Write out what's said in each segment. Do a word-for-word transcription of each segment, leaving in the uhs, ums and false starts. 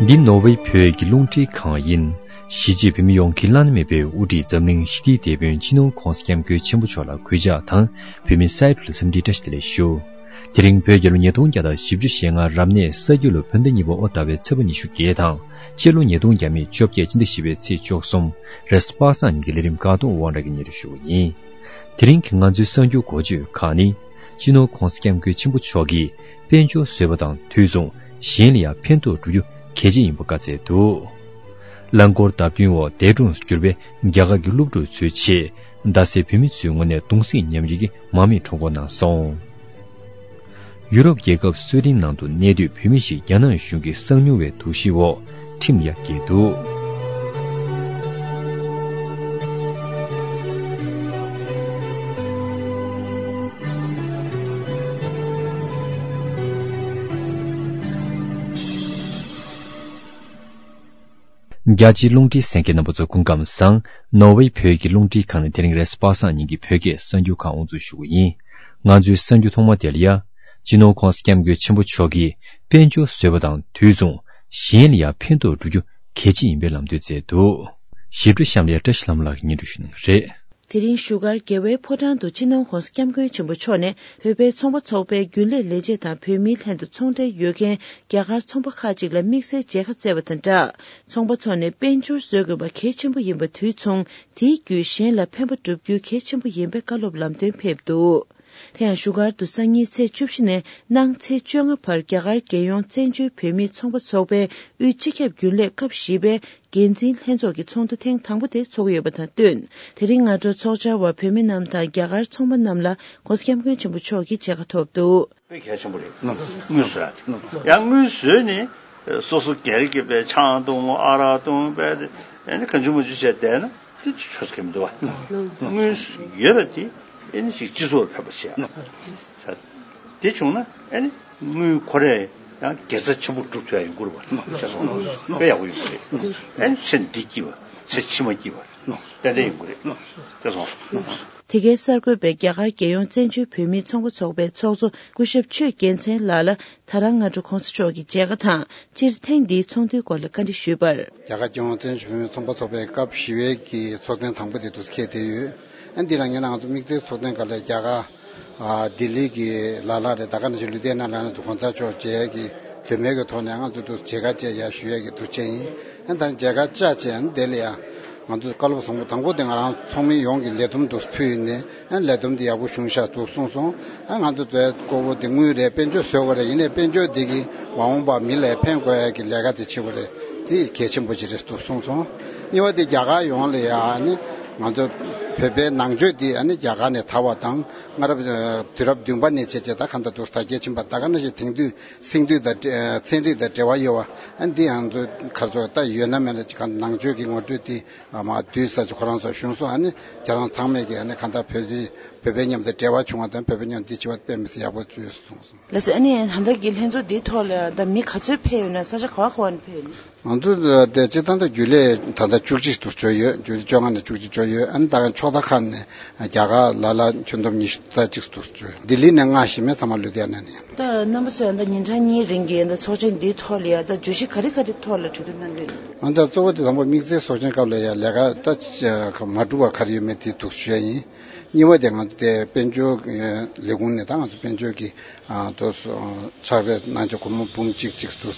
འདི་ནོར་ཝེ་བོད་ཀྱི་རླུང་འཕྲིན་ཁང་ཡིན། གཞིས་བྱེས་བོད་མི་ཡོངས་ཀྱི་བླ་ན་མེད་པའི་དབུ་ཁྲིད་འཛམ་གླིང་ཞི་བདེའི་དེད་དཔོན་སྤྱི་ནོར་༸གོང་ས་༸སྐྱབས་མགོན་ཆེན་པོ་མཆོག་ལ་གུས་ཕྱག་དང་། བོད་མི་སའི་ཁྲོད་ལ་འཚམས་འདྲིའི་བཀྲ་ཤིས་བདེ་ལེགས་ཞུ། དེ་རིང་བོད་རྒྱལ་ལོ་ཉིས་སྟོང་བརྒྱ་དང་བཞི་བཅུ་ཞེ་ལྔ་རབ་གནས་ས་ཁྱི་ལོ་བོད་ཟླ་གཉིས་པ་དབོ་ཟླ་བའི་ཚེས་པ་ཉི་ཤུ་བརྒྱད་དང་། སྤྱི་ལོ་ཉིས་སྟོང་ཉེར་བཞི་ཕྱི་ཟླ་བཞི་པའི་ཚེས་བཅུ་གསུམ་རེས་གཟའ་པ་སངས་ཉིན་གྱི་ལས་རིམ་ཁག་ཐོག་དབང་གྲགས་ཀྱིས་སྙན་སྒྲོན་ཞུ་བ་ཡིན། དེ་རིང་གི་ང་ཚོའི་གསར་འགྱུར་འགོ་བརྗོད་ཁག་ནི། སྤྱི་ནོར་༸གོང་ས་༸སྐྱབས་མགོན་ཆེན་པོ་མཆོག་གིས་དཔལ་འབྱོར་བཟོས་པ་དང་དུས་མཚུངས་གཞན་ལ་ཡང་ཕན་ཐོགས་འགྲོ་རྒྱུ་གལ་ཆེ་ཡིན་པ་བཀའ་སྩལ་འདུག་རླངས་འཁོར་བརྡབ་སྐྱོན་འོག་འདས་གྲོངས་སུ་གྱུར་པའི་རྒྱ་གར་གྱི་སློབ་ཕྲུག་ཚོའི་ཆེད། རྡ་སའི་བོད་མི་ཚོའི་ངོས་ནས་གདུང་སེམས་མཉམ་སྐྱེད་ཀྱི་མར་མེ་ཁྲོམ་སྐོར་གནང་སོང་། ཡུ་རོབ་རྒྱལ་ཁབ་སུའེ་ཏེན་ནང་དུ་གནས་སྡོད་བོད་མི་ཞིག་རྒྱ་ནག་གཞུང་གི་གསང་ཉུལ་བའི་དོགས་གཞིའི་འོག་ཁྲིམས་ལ་ཡ་བཀལ་འདུག་རྒྱ་ཆེའི་རླུང་འཕྲིན་གསན་མཁན་རྣམ་པ་ཚོ་སྐུ་ཁམས་བཟང་། ནོར་ཝེ་བོད་ཀྱི་རླུང་འཕྲིན་ཁང་ནས་དེ་རིང་རེས་གཟའ་པ་སངས་ཉིན་གྱི་བོད་སྐད་གསར་འགྱུར་ཁག་དབུ་འཛུགས་ཞུ་གི་ཡིན། ང་ཚོའི་གསར་འགྱུར་ཐོག་མ་དེ་ལ་ཡ། སྤྱི་ནོར་༸གོང་ས་༸སྐྱབས་མགོན་ཆེན་པོ་མཆོག་གིས་དཔལ་འབྱོར་བཟོས་པ་དང་དུས་མཚུངས་གཞན་ལ་ཡ་ཕན་ཐོགས་འགྲོ་རྒྱུ་གལ་ཆེ་ཡིན་པའི་ལམ་སྟོན་མཛད་འདུག་ཞིབ་ཕྲ་གཤམ་ལ་ཡ་བཀྲ་ཤིས་ལྷ་མོ་ལགས་ཀྱིས་སྙན་སྒྲོན་ཞུ་གནང་གི་རེད། དེ་རིང་བཞུགས་སྒར་རྒྱལ་བའི་ཕོ་བྲང་དུ་སྤྱི་ནོར་༸གོང་ས་༸སྐྱབས་མགོན་ཆེན་པོ་མཆོག་ནས་བོད་པའི་ཚོང་པ་ཚོགས་པའི་རྒྱུན་ལས་ལས་བྱེད་དང་བོད་མིའི་ལྷན་དུ་ཚོང་འབྲེལ་ཡོད་མཁན་རྒྱ་གར་ཚོང་པ་ཁག་ཅིག་ལ་དམིགས་བསལ་མཇལ་ཁ་བསྩལ་བ་དང་སྦྲགས། ཚོང་པ་ཚོ་ནས་དཔལ་འབྱོར་བཟོ་དགོས་པ་གལ་ཆེན་པོ་ཡིན་པ་དུས་མཚུངས་དེའི་བརྒྱུད་གཞན་ལ་ཕན་པ་བསྒྲུབ་རྒྱུ་གལ་ཆེན་པོ་ཡིན་པའི་བཀའ་སློབ་ལམ་སྟོན་ཕེབས་འདུག་དེ་ཡང་བཞུགས་སྒར་དུ་སང་ཉིན་ཚེས་བཅུ་བཞི་ནས་གནངས་ཚེས་བཅོ་ལྔ་བར་རྒྱ་གར་རྒྱལ་ཡོངས་བཙན་བྱོལ་བོད་མིའི་ཚོང་པ་ཚོགས་པའི་དབུས་སྤྱི་ཁྱབ་རྒྱུན་ལས་སྐབས་བཞི་པའི་འགན་འཛིན་ལྷན་ཚོགས་ཀྱི་ཚོགས་འདུ་ཐེངས་དང་པོ་དེ་ཚོགས་ཀྱི་ཡོད་པ་དང་བསྟུན། དེ་རིང་སྔ་དྲོ་ཚོགས་བཅར་བ་བོད་མི་རྣམས་དང་རྒྱ་གར་ཚོང་པ་རྣམས་ལ་༸གོང་ས་༸སྐྱབས་མགོན་ཆེན་པོ་མཆོག་གིས་མཇལ་ཁ་ཐོབ་འདུག་དཔེ་གལ་ཆེན་པོ་རེད། དངུལ་བཟོ་ཡ་དེ་ཡང་དངུལ་བཟོས་ནས་སོ་སོ་སྒེར་གྱི་པའི་ཆང་འཐུང་ཨ་རག་འཐུང་པའི་ཨ་ནི་གང་བྱུང་མང་བྱུང་བྱས་བསྡད་ན་དེ་ཆོ་ས་གི་མི་འདུག་བ། དངུལ་ཡོད་པ་དེ་ཨ་ནི་ཅིག་སྤྱི་ཚོགས་ལ་ཕན་པ་བྱས། དེ་བྱུང་ན་ཨ་ནི་དངུལ་ཁོ་རས་ཡང་དགེ་རྩ་ཆེན་པོ་སྒྲུབ་ཐུབ་ཡ་ཡོང་གི་རེད་བ། དཔེ་ཡག་པོ་ཡོང་གི་རེད། ཨ་ནི་ཚེ་འདི་སྐྱིད་པ་ཚེ་ཕྱི་མ་སྐྱིད་པ་ཏན་ཏན་ཡོང་གི་རེད། དེ་སོང་། དེ་གའི་གསར་འགོད་པས་རྒྱ་གར་རྒྱལ་ཡོངས་བཙན་བྱོལ་བོད་མིའི་ཚོང་པ་ཚོགས་པའི་ཚོགས་གཙོ་སྐུ་ཞབས་ཆོས་རྒྱལ་མཚན་ལགས་ལ་ད་རང་སྔ་དྲོ་༸གོང་ས་མཆོག་གི་མཇལ་ཁ་དང་སྤྱིར་ཐེངས་འདིའི་ཚོགས་འདུའི་སྐོར་ལ་བཀའ་འདྲི་ཞུས་པར། རྒྱ་གར་རྒྱལ་ཡོངས་བཙན་བྱོལ་བོད་མིའི་ཚོང་པ་ཚོགས་པའི་སྐབས་བཞི་པའི་གི་ཚོགས་ཐེངས་དང་པོ་དེ་དུས་འཁེལ་བསྡད་ཡོད། ཨ་འདི་ལ་ངས་ང་ཚོ་དམིགས་བསལ་ཚོགས་ཐེངས་སྐབས་ལ་རྒྱ་གར་ཨ་ལྡི་ལི་གི་ལ་ལ་རེད། ད་ག་ནང་བཞིན་ལུ་དེ་ན་ལ་ན་དུ་༸གོང་ས་མཆོག་མཇལ་གི་འདོད་མོས་ཀྱི་ཐོག་ནས་ང་ཚོ་དུ་མཇལ་ཁ་བཅས་ཡ་ཞུ་ཡ་གི་དུ་བཅས་ཡིན། ཨ་ད་མཇལ་ཁ་བཅར་བྱས་ཨ་དེ་ལ་ཡ་ང་ཚོ་བཀའ་སློབ་བཟང་པོ་དང་པོ་དེ་ང་རང་ཚོགས་མི་ཡོངས་ཀྱི་ལས་བསྡོམས་དུ་ཕུལ་ནས། ཨ་ལས་བསྡོམས་འདི་ཡག་པོ་བྱུང་ཤག་འདུག་གསུངས་སོང་། ཨ་ང་ཚོ་བཙལ་དགོས་པོ་དེ་དངུལ་རེད། དཔལ་འབྱོར་བཟོ་དགོས་རེད། ཡིན་ནའི་དཔལ་འབྱོར་འདི་གིས་མ་འོངས་པ་མི་ལ་ཕན་དགོས་ཡ་གི་ལས་ཀ་དེ་བྱེད་དགོས་རེད། དེ་གལ་ཆེན་པོ་ཅིག་རེད་འདུག་གསུངས་སོང་། གཉིས་པ་དེ་རྒྱ་གར་ཡོངས་ལ་ཡ་ཨ་ནི་ང་ཚོ་བོད་པའི་ནང་ཆོས་འདི་ཨ་ནི་རྒྱ་གར་ནས་དར་བ་དང་སྔ་རབས་དུས་རབས་བདུན་པ་ནས་བྱས་བྱས་ད་གང་ལྟར་འདུག་དར་རྒྱས་ཕྱིན་པ་ད་ག་ནང་བཞིན་དེང་དུས་སེང་འདུས་དང་ཚན་རིག་དང་འབྲེལ་བ་ཡོད་པ་ཨ་འདི་ང་ཚོ་ག་ཚོད་ད་ཡོད་ན་མེད་ན་ཅིག་གང་ནང་ཆོས་ཀྱི་ངོ་སྤྲོད་དེ། ཨ་མ་དུས་ས་ཅིག་ཁོ་རང་ཚོ་གཞུང་སོང་ཨ་ནི་ཁྱེད་རང་ཚང་མས་ཀྱི་ཨ་ནི་གང་ལྟར་བོད་དེ་བོད་པའི་མཉམ་དུ་འབྲེལ་བ་བྱུང་བ་དང་བོད་པའི་མཉམ་དུ་འདི་བྱེད་པ་དཔེ་མི་སྲིད་ཡག་པོ་བྱུང་སོང་། ལགས་སོ། ཨ་ནི་ད་ལྟ་གི་ལྷན་ཚོགས་འདིའི་ཐོག་ལ་ད་མི་ག་ཚོད་ཕེབས་ཡོད་ན་ས་ཆ་ག་བ་ག་བ་ནས་ཕེབས་ཡོད་ན། ང་ཚོ་དེ་སྤྱི་བཏང་དུ་རྒྱུན་ལས་ད་ལྟ་བཅུ་གཅིག་ཏུ་བྱོས་ཡོད། བཅུ་གཅིག་བཅོ་ལྔ་ནས་བཅུ་གཅིག་བྱོས་ཡོད། ཨ་ནི་ད་ག་ཕྱོགས་མཐའ་ཁག་ནས་རྒྱ་གར་ལ་ལ་ཁྱོན་བསྡོམས་ཉི་ཤུ་རྩ་གཅིག་ཏུ་བྱོས། ལྡི་ལི་ནས་ལྔ་ཞིག་མེད་ཚང་མ་ལུ་དེ་ནས་ནས། ད་རྣམ་པ་ཚོས་ད་ཉིན་གྲངས་གཉིས་རིང་གི་ད་ཚོགས་ཆེན་འདིའི་ཐོག་ལ་ཡ་ད་བརྗོད་གཞི་ག་རེ་ག་རེ་ཐོག་ལ་གྲོས་བསྡུར་གནང་གི་ཡོད། ང་ཚོ་གཙོ་བོ་དེ་དང་པོ་དམིགས་བསལ་ཚོགས་ཆེན་སྐབས་ལ་ཡ་ལས་ཀ་ད་མ་གྲུབ་པ་ག་རེ་ཡོད་མེད་དེ་འདུག་ཞུ་ཡ་ཡིན། གཉིས་པ་དེ་ང་ཚོ་དེ་དཔལ་འབྱོར་ལས་ཁུངས་ནས་ད་ང་ཚོ་དཔལ་འབྱོར་གྱི་དོ་ཕྱག་ལས་གནང་ཆོག་སྒོར་མོ་འབུམ་གཅིག་གཅིག་ཏུ་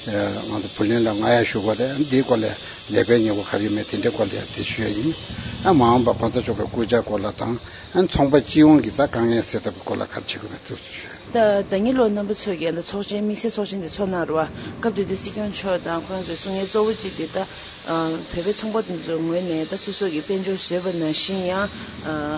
ང་ཚོ་བུ་ལོན་ལ་མངགས་ཡ་ཞུ་དགོས་རེད། འདིའི་སྐོར་ལ་ལས་པའི་ཉེས་པོ་ག་རེ་ཡོད་མེད་དེ་འདྲའི་སྐོར་ལ་ཡ་དེ་ཞུ་ཡ་ཡིན། ཨ་མ་འོངས་པ་གོང་ས་མཆོག་གི་སྐུ་ཕྱྭ་སྐོར་ལ་དང་ཨ་ཚོང་པ་སྤྱི་ཡོངས་ཀྱི་ད་དཀའ་ངལ་སེལ་ཐབས་ཀྱི་སྐོར་ལ་ག་རེ་བྱེད་དགོས་མེད་དེ་ཞུ་ཡ་ཡིན། ད་ཟླ་ཉི་ལོ་རྣམ་པ་ཚོས་ཀྱིས་ད་ཚོགས་ཆེན་དམིགས་བསལ་ཚོགས་ཆེན་དེ་ཚོགས་གནང་རེད་བ། སྐབས་དེ་དུས་སྲིད་སྐྱོང་མཆོག་དང་ཁོ་རང་ཚོའི་གསུང་ཡས་གཙོ་བོ་གཅིག་དེ་ད་བོད་པའི་ཚོང་པ་དེ་ཚོའི་ངོས་ནས་ད་སོ་སོ་གི་དཔལ་འབྱོར་བཟོས་པ་ནང་བཞིན་ཡང་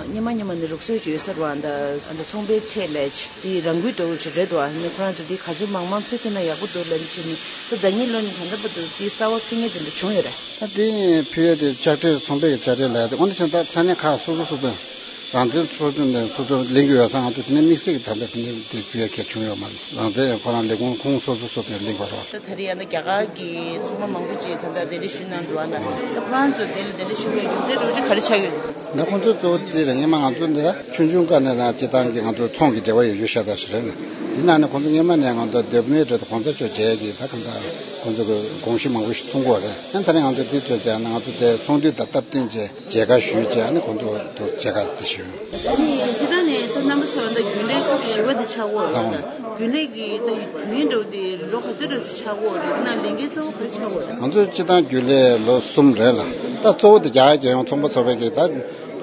སྔོན་མ་སྔོན་མ་ནས་ལུགས་སྲོལ་ཅིག་ཡོད་ས་རེད་བ། ད་ཚོང་པའི་ཁྲལ་ལས་དེ་རང་འགུལ་འགྲོ་བ་ཅིག་རེད་བ། ནི་ཁོ་རང་ཚོ་དེ་ག་ཚོད་མང་མང་ཕུལ་ཐུབ་ན་ཡག་པོ་འདུག་ལབ་ནས་བྱས་ནས་ད་ཟླ་ཉི་ལོ་ནས་ད་ལྟ་བར་དུ་དེ་གསར་བ་ཕུལ་མཁན་དེ་འདྲ་བྱུང་ཡོད་རེད། ད་དེ་ཕུལ་ཡས་དེ་དཔྱ་ཁྲལ་ཚོང་པའི་དཔྱ་ཁྲལ་ལབ་ཡ་དེ་དངོས་གནས་བྱས་ན་ད་ས་གནས་ཁག་སོ་སོ་སོ་སོ་ རང་བཙན་སོ་སོ་ནས་སོ་སོ་ལེན་གྱི་ཡོད་ཙང་། ང་ཚོ་དེ་ནས་དམིགས་བསལ་གྱི་ད་ལྟ་དེ་ནས་དེ་ཞུ་ཡ་གལ་བྱུང་ཡོད་མ་རེད། རང་བཙན་ཁོ་རང་ལས་ཁུངས་ཁོང་སོ་སོ་སོ་སོ་ལེན་དགོས་རེད། ད་ད་རེས་ཡང་ན་རྒྱ་གར་གྱི་ཚོང་པ་མང་པོ་ཅིག་ད་ལྟ་གདན་འདྲེན་ཞུས་གནང་འདུག་ཨ་ལ། ད་ཁོ་རང་ཚོ་དེ་ལ་གདན་འདྲེན་ཞུ་བའི་རྒྱུ་མཚན་འདྲ་བོ་ཅིག་ག་རེ་ཆགས་ཡོད། ད་ཁོང་ཚོ་གཙོ་བོ་དེ་རེད། སྔོན་མ་ང་ཚོ་འདི་ཆུང་ཆུང་སྐབས་ནས་ད་སྤྱི་བཏང་གི་ང་ཚོ་ཚོང་གི་འབྲེལ་བ་ཡོད་ཡོད་ཤ་སྟག་ཞིག་རེད་ལ། ཡིན་ན་ནི་ཁོང་ཚོ་སྔོན་མ་ནས་ང་ཚོ་མདོ་སྨད་གྲོལ་དུ་གོང་ས་མཆོག་མཇལ་གྱི་ད་གང་ལྟར་ཁོང་ཚོ་གི་དགོངས་གཞི་མང་པོ་ཞིག་མཐོང་གི་ཡོད་རེད། ཡང་ད་རེས་ང་ཚོ་འདི་ཚོ་མཇལ་ན་ང་ཚོ་དེ་ཚོང་འདུས་དང་སྟབས་བསྟུན་བྱས་མཇལ་ཁ་ཞུས་བྱས། ཨ་ནི་ཁོང་ཚོ་དུ་མཇལ་ཁ་དེ་ཞུས། ཨ་ནི་སྤྱི་བཏང་ནས་ད་རྣམ་པ་ཚོ་ད་རྒྱུན་ལས་སྐབས་བཞི་པ་དེ་ཆགས་ཀྱི་ཡོད་རེད། ད་རྒྱུན་ལས་ཀྱི་ད་དུས་ཡུན་འདྲ་བོ་དེ་ལོ་ག་ཚོད་འདྲ་བོ་ཞིག་ཆགས་ཀྱི་ཡོད་རེད། ད་ལས་འགན་གཙོ་བོ་ག་རེ་ཆགས་ཀྱི་ཡོད་རེད། ང་ཚོ་སྤྱི་བཏང་རྒྱུན་ལས་ལོ་གསུམ་རེད་ལ། ད་གཙོ་བོ་དེ་རྒྱ་གར་རྒྱལ་ཡོངས་ཚོང་པ་ཚོགས་པའི་གི་ད་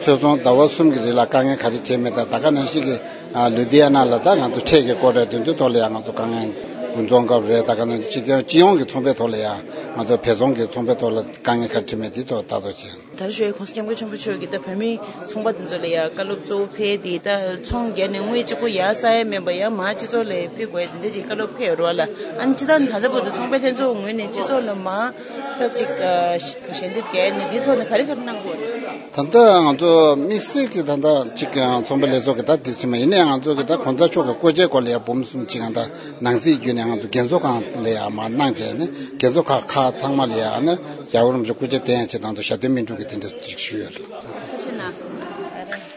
ཚོད་བཟུང་ཟླ་བ་གསུམ་གྱི་རིང་ལ་དཀའ་ངལ་ག་རེ་འཕྲད་མེད། ད་ད་ག་ནང་བཞིན་གྱི་ཨ་ལུ་དྷི་ཡ་ན་ལ་ད་ང་ཚོ་ཁྲལ་གྱི་སྐོར་རེད། དེ་ཚོའི་ཐོག་ལ་ཡང་ང་ཚོ་དཀའ་ངལ་དགུན་ཚོང་སྐབས་རེད། ད་ག་ནང་སྤྱི་སྤྱི་ཡོངས་ཀྱི་ཚོང་པའི་ཐོག་ལ་ཡང་ང་ཚོ་བལ་ཚོང་གི་ཚོང་པའི་ཐོག་ལ་དཀའ་ངལ་ག་རེ་འཕྲད་མེད། དེ་ཐོག་ལྟ་རྟོག་བྱས། ད་རེས་ཞུ་ཡས་༸གོང་ས་༸སྐྱབས་མགོན་ཆེན་པོ་མཆོག་གིས་ད་བོད་མི་ཚོང་པ་དེ་ཚོ་ལ་ཡང་བཀའ་སློབ་གཙོ་བོ་ཕེབས་ཏེ། ད་ཚོང་བརྒྱབ་ནས་དངུལ་གཅིག་པོ་ཡར་བསགས་ཡས་མིན་པ་ཡང་མར་སྤྱི་ཚོགས་ལ་ཕུལ་དགོས་དེ་འདྲ་ཅིག་བཀའ་སློབ་ཕེབས་ཡོད་རེད་བ་ལ། ཨ་ནི་སྤྱིར་བཏང་ད་ལྟ་བར་དུ་ཚོང་པའི་ལྷན་ཚོགས་ངོས་ནས་སྤྱི་ཚོགས་ལ་མར་ད་ཅིག་ཞལ་འདེབས་བརྒྱབ་ནས་འདིའི་ཐོག་ནས་ག་རེ་ག་རེ་གནང་དགོས་རེད། ད་ལྟ་ང་ཚོ་དམིགས་བསལ་གྱི་ད་ལྟ་ཅིག་ཚོང་པ་ལས་ཚོགས་ཀྱི་ད་དེ་ཚོ་མ་ཡིན་ནའི་ང་ཚོ་གི་ད་གོང་ས་མཆོག་གི་སྐུ་ཕྱྭའི་སྐོར་ལ་ཡང་འབུམ་གསུམ་ཅིག་ང་ད་ནང་སྲིད་བརྒྱུད་ནས་ང་ཚོ་རྒན་གསོ་ཁང་ལ་ཡང་མར་གནང་བྱས་ནས། རྒན་གསོ་ཁང་ཁག་ཚང་མ་ལ་ཡང་ནི་རྒྱལ་བ་རིན་པོ་ཆེ་སྐུ་ཕྱྭ་བསྟེན་ཡ་ཆེད་དུ་ཞབས་བརྟན་སྨིན་དྲུག་གི་དེ་འདྲ་ཅིག་ཞུས་ཡོད་རེད།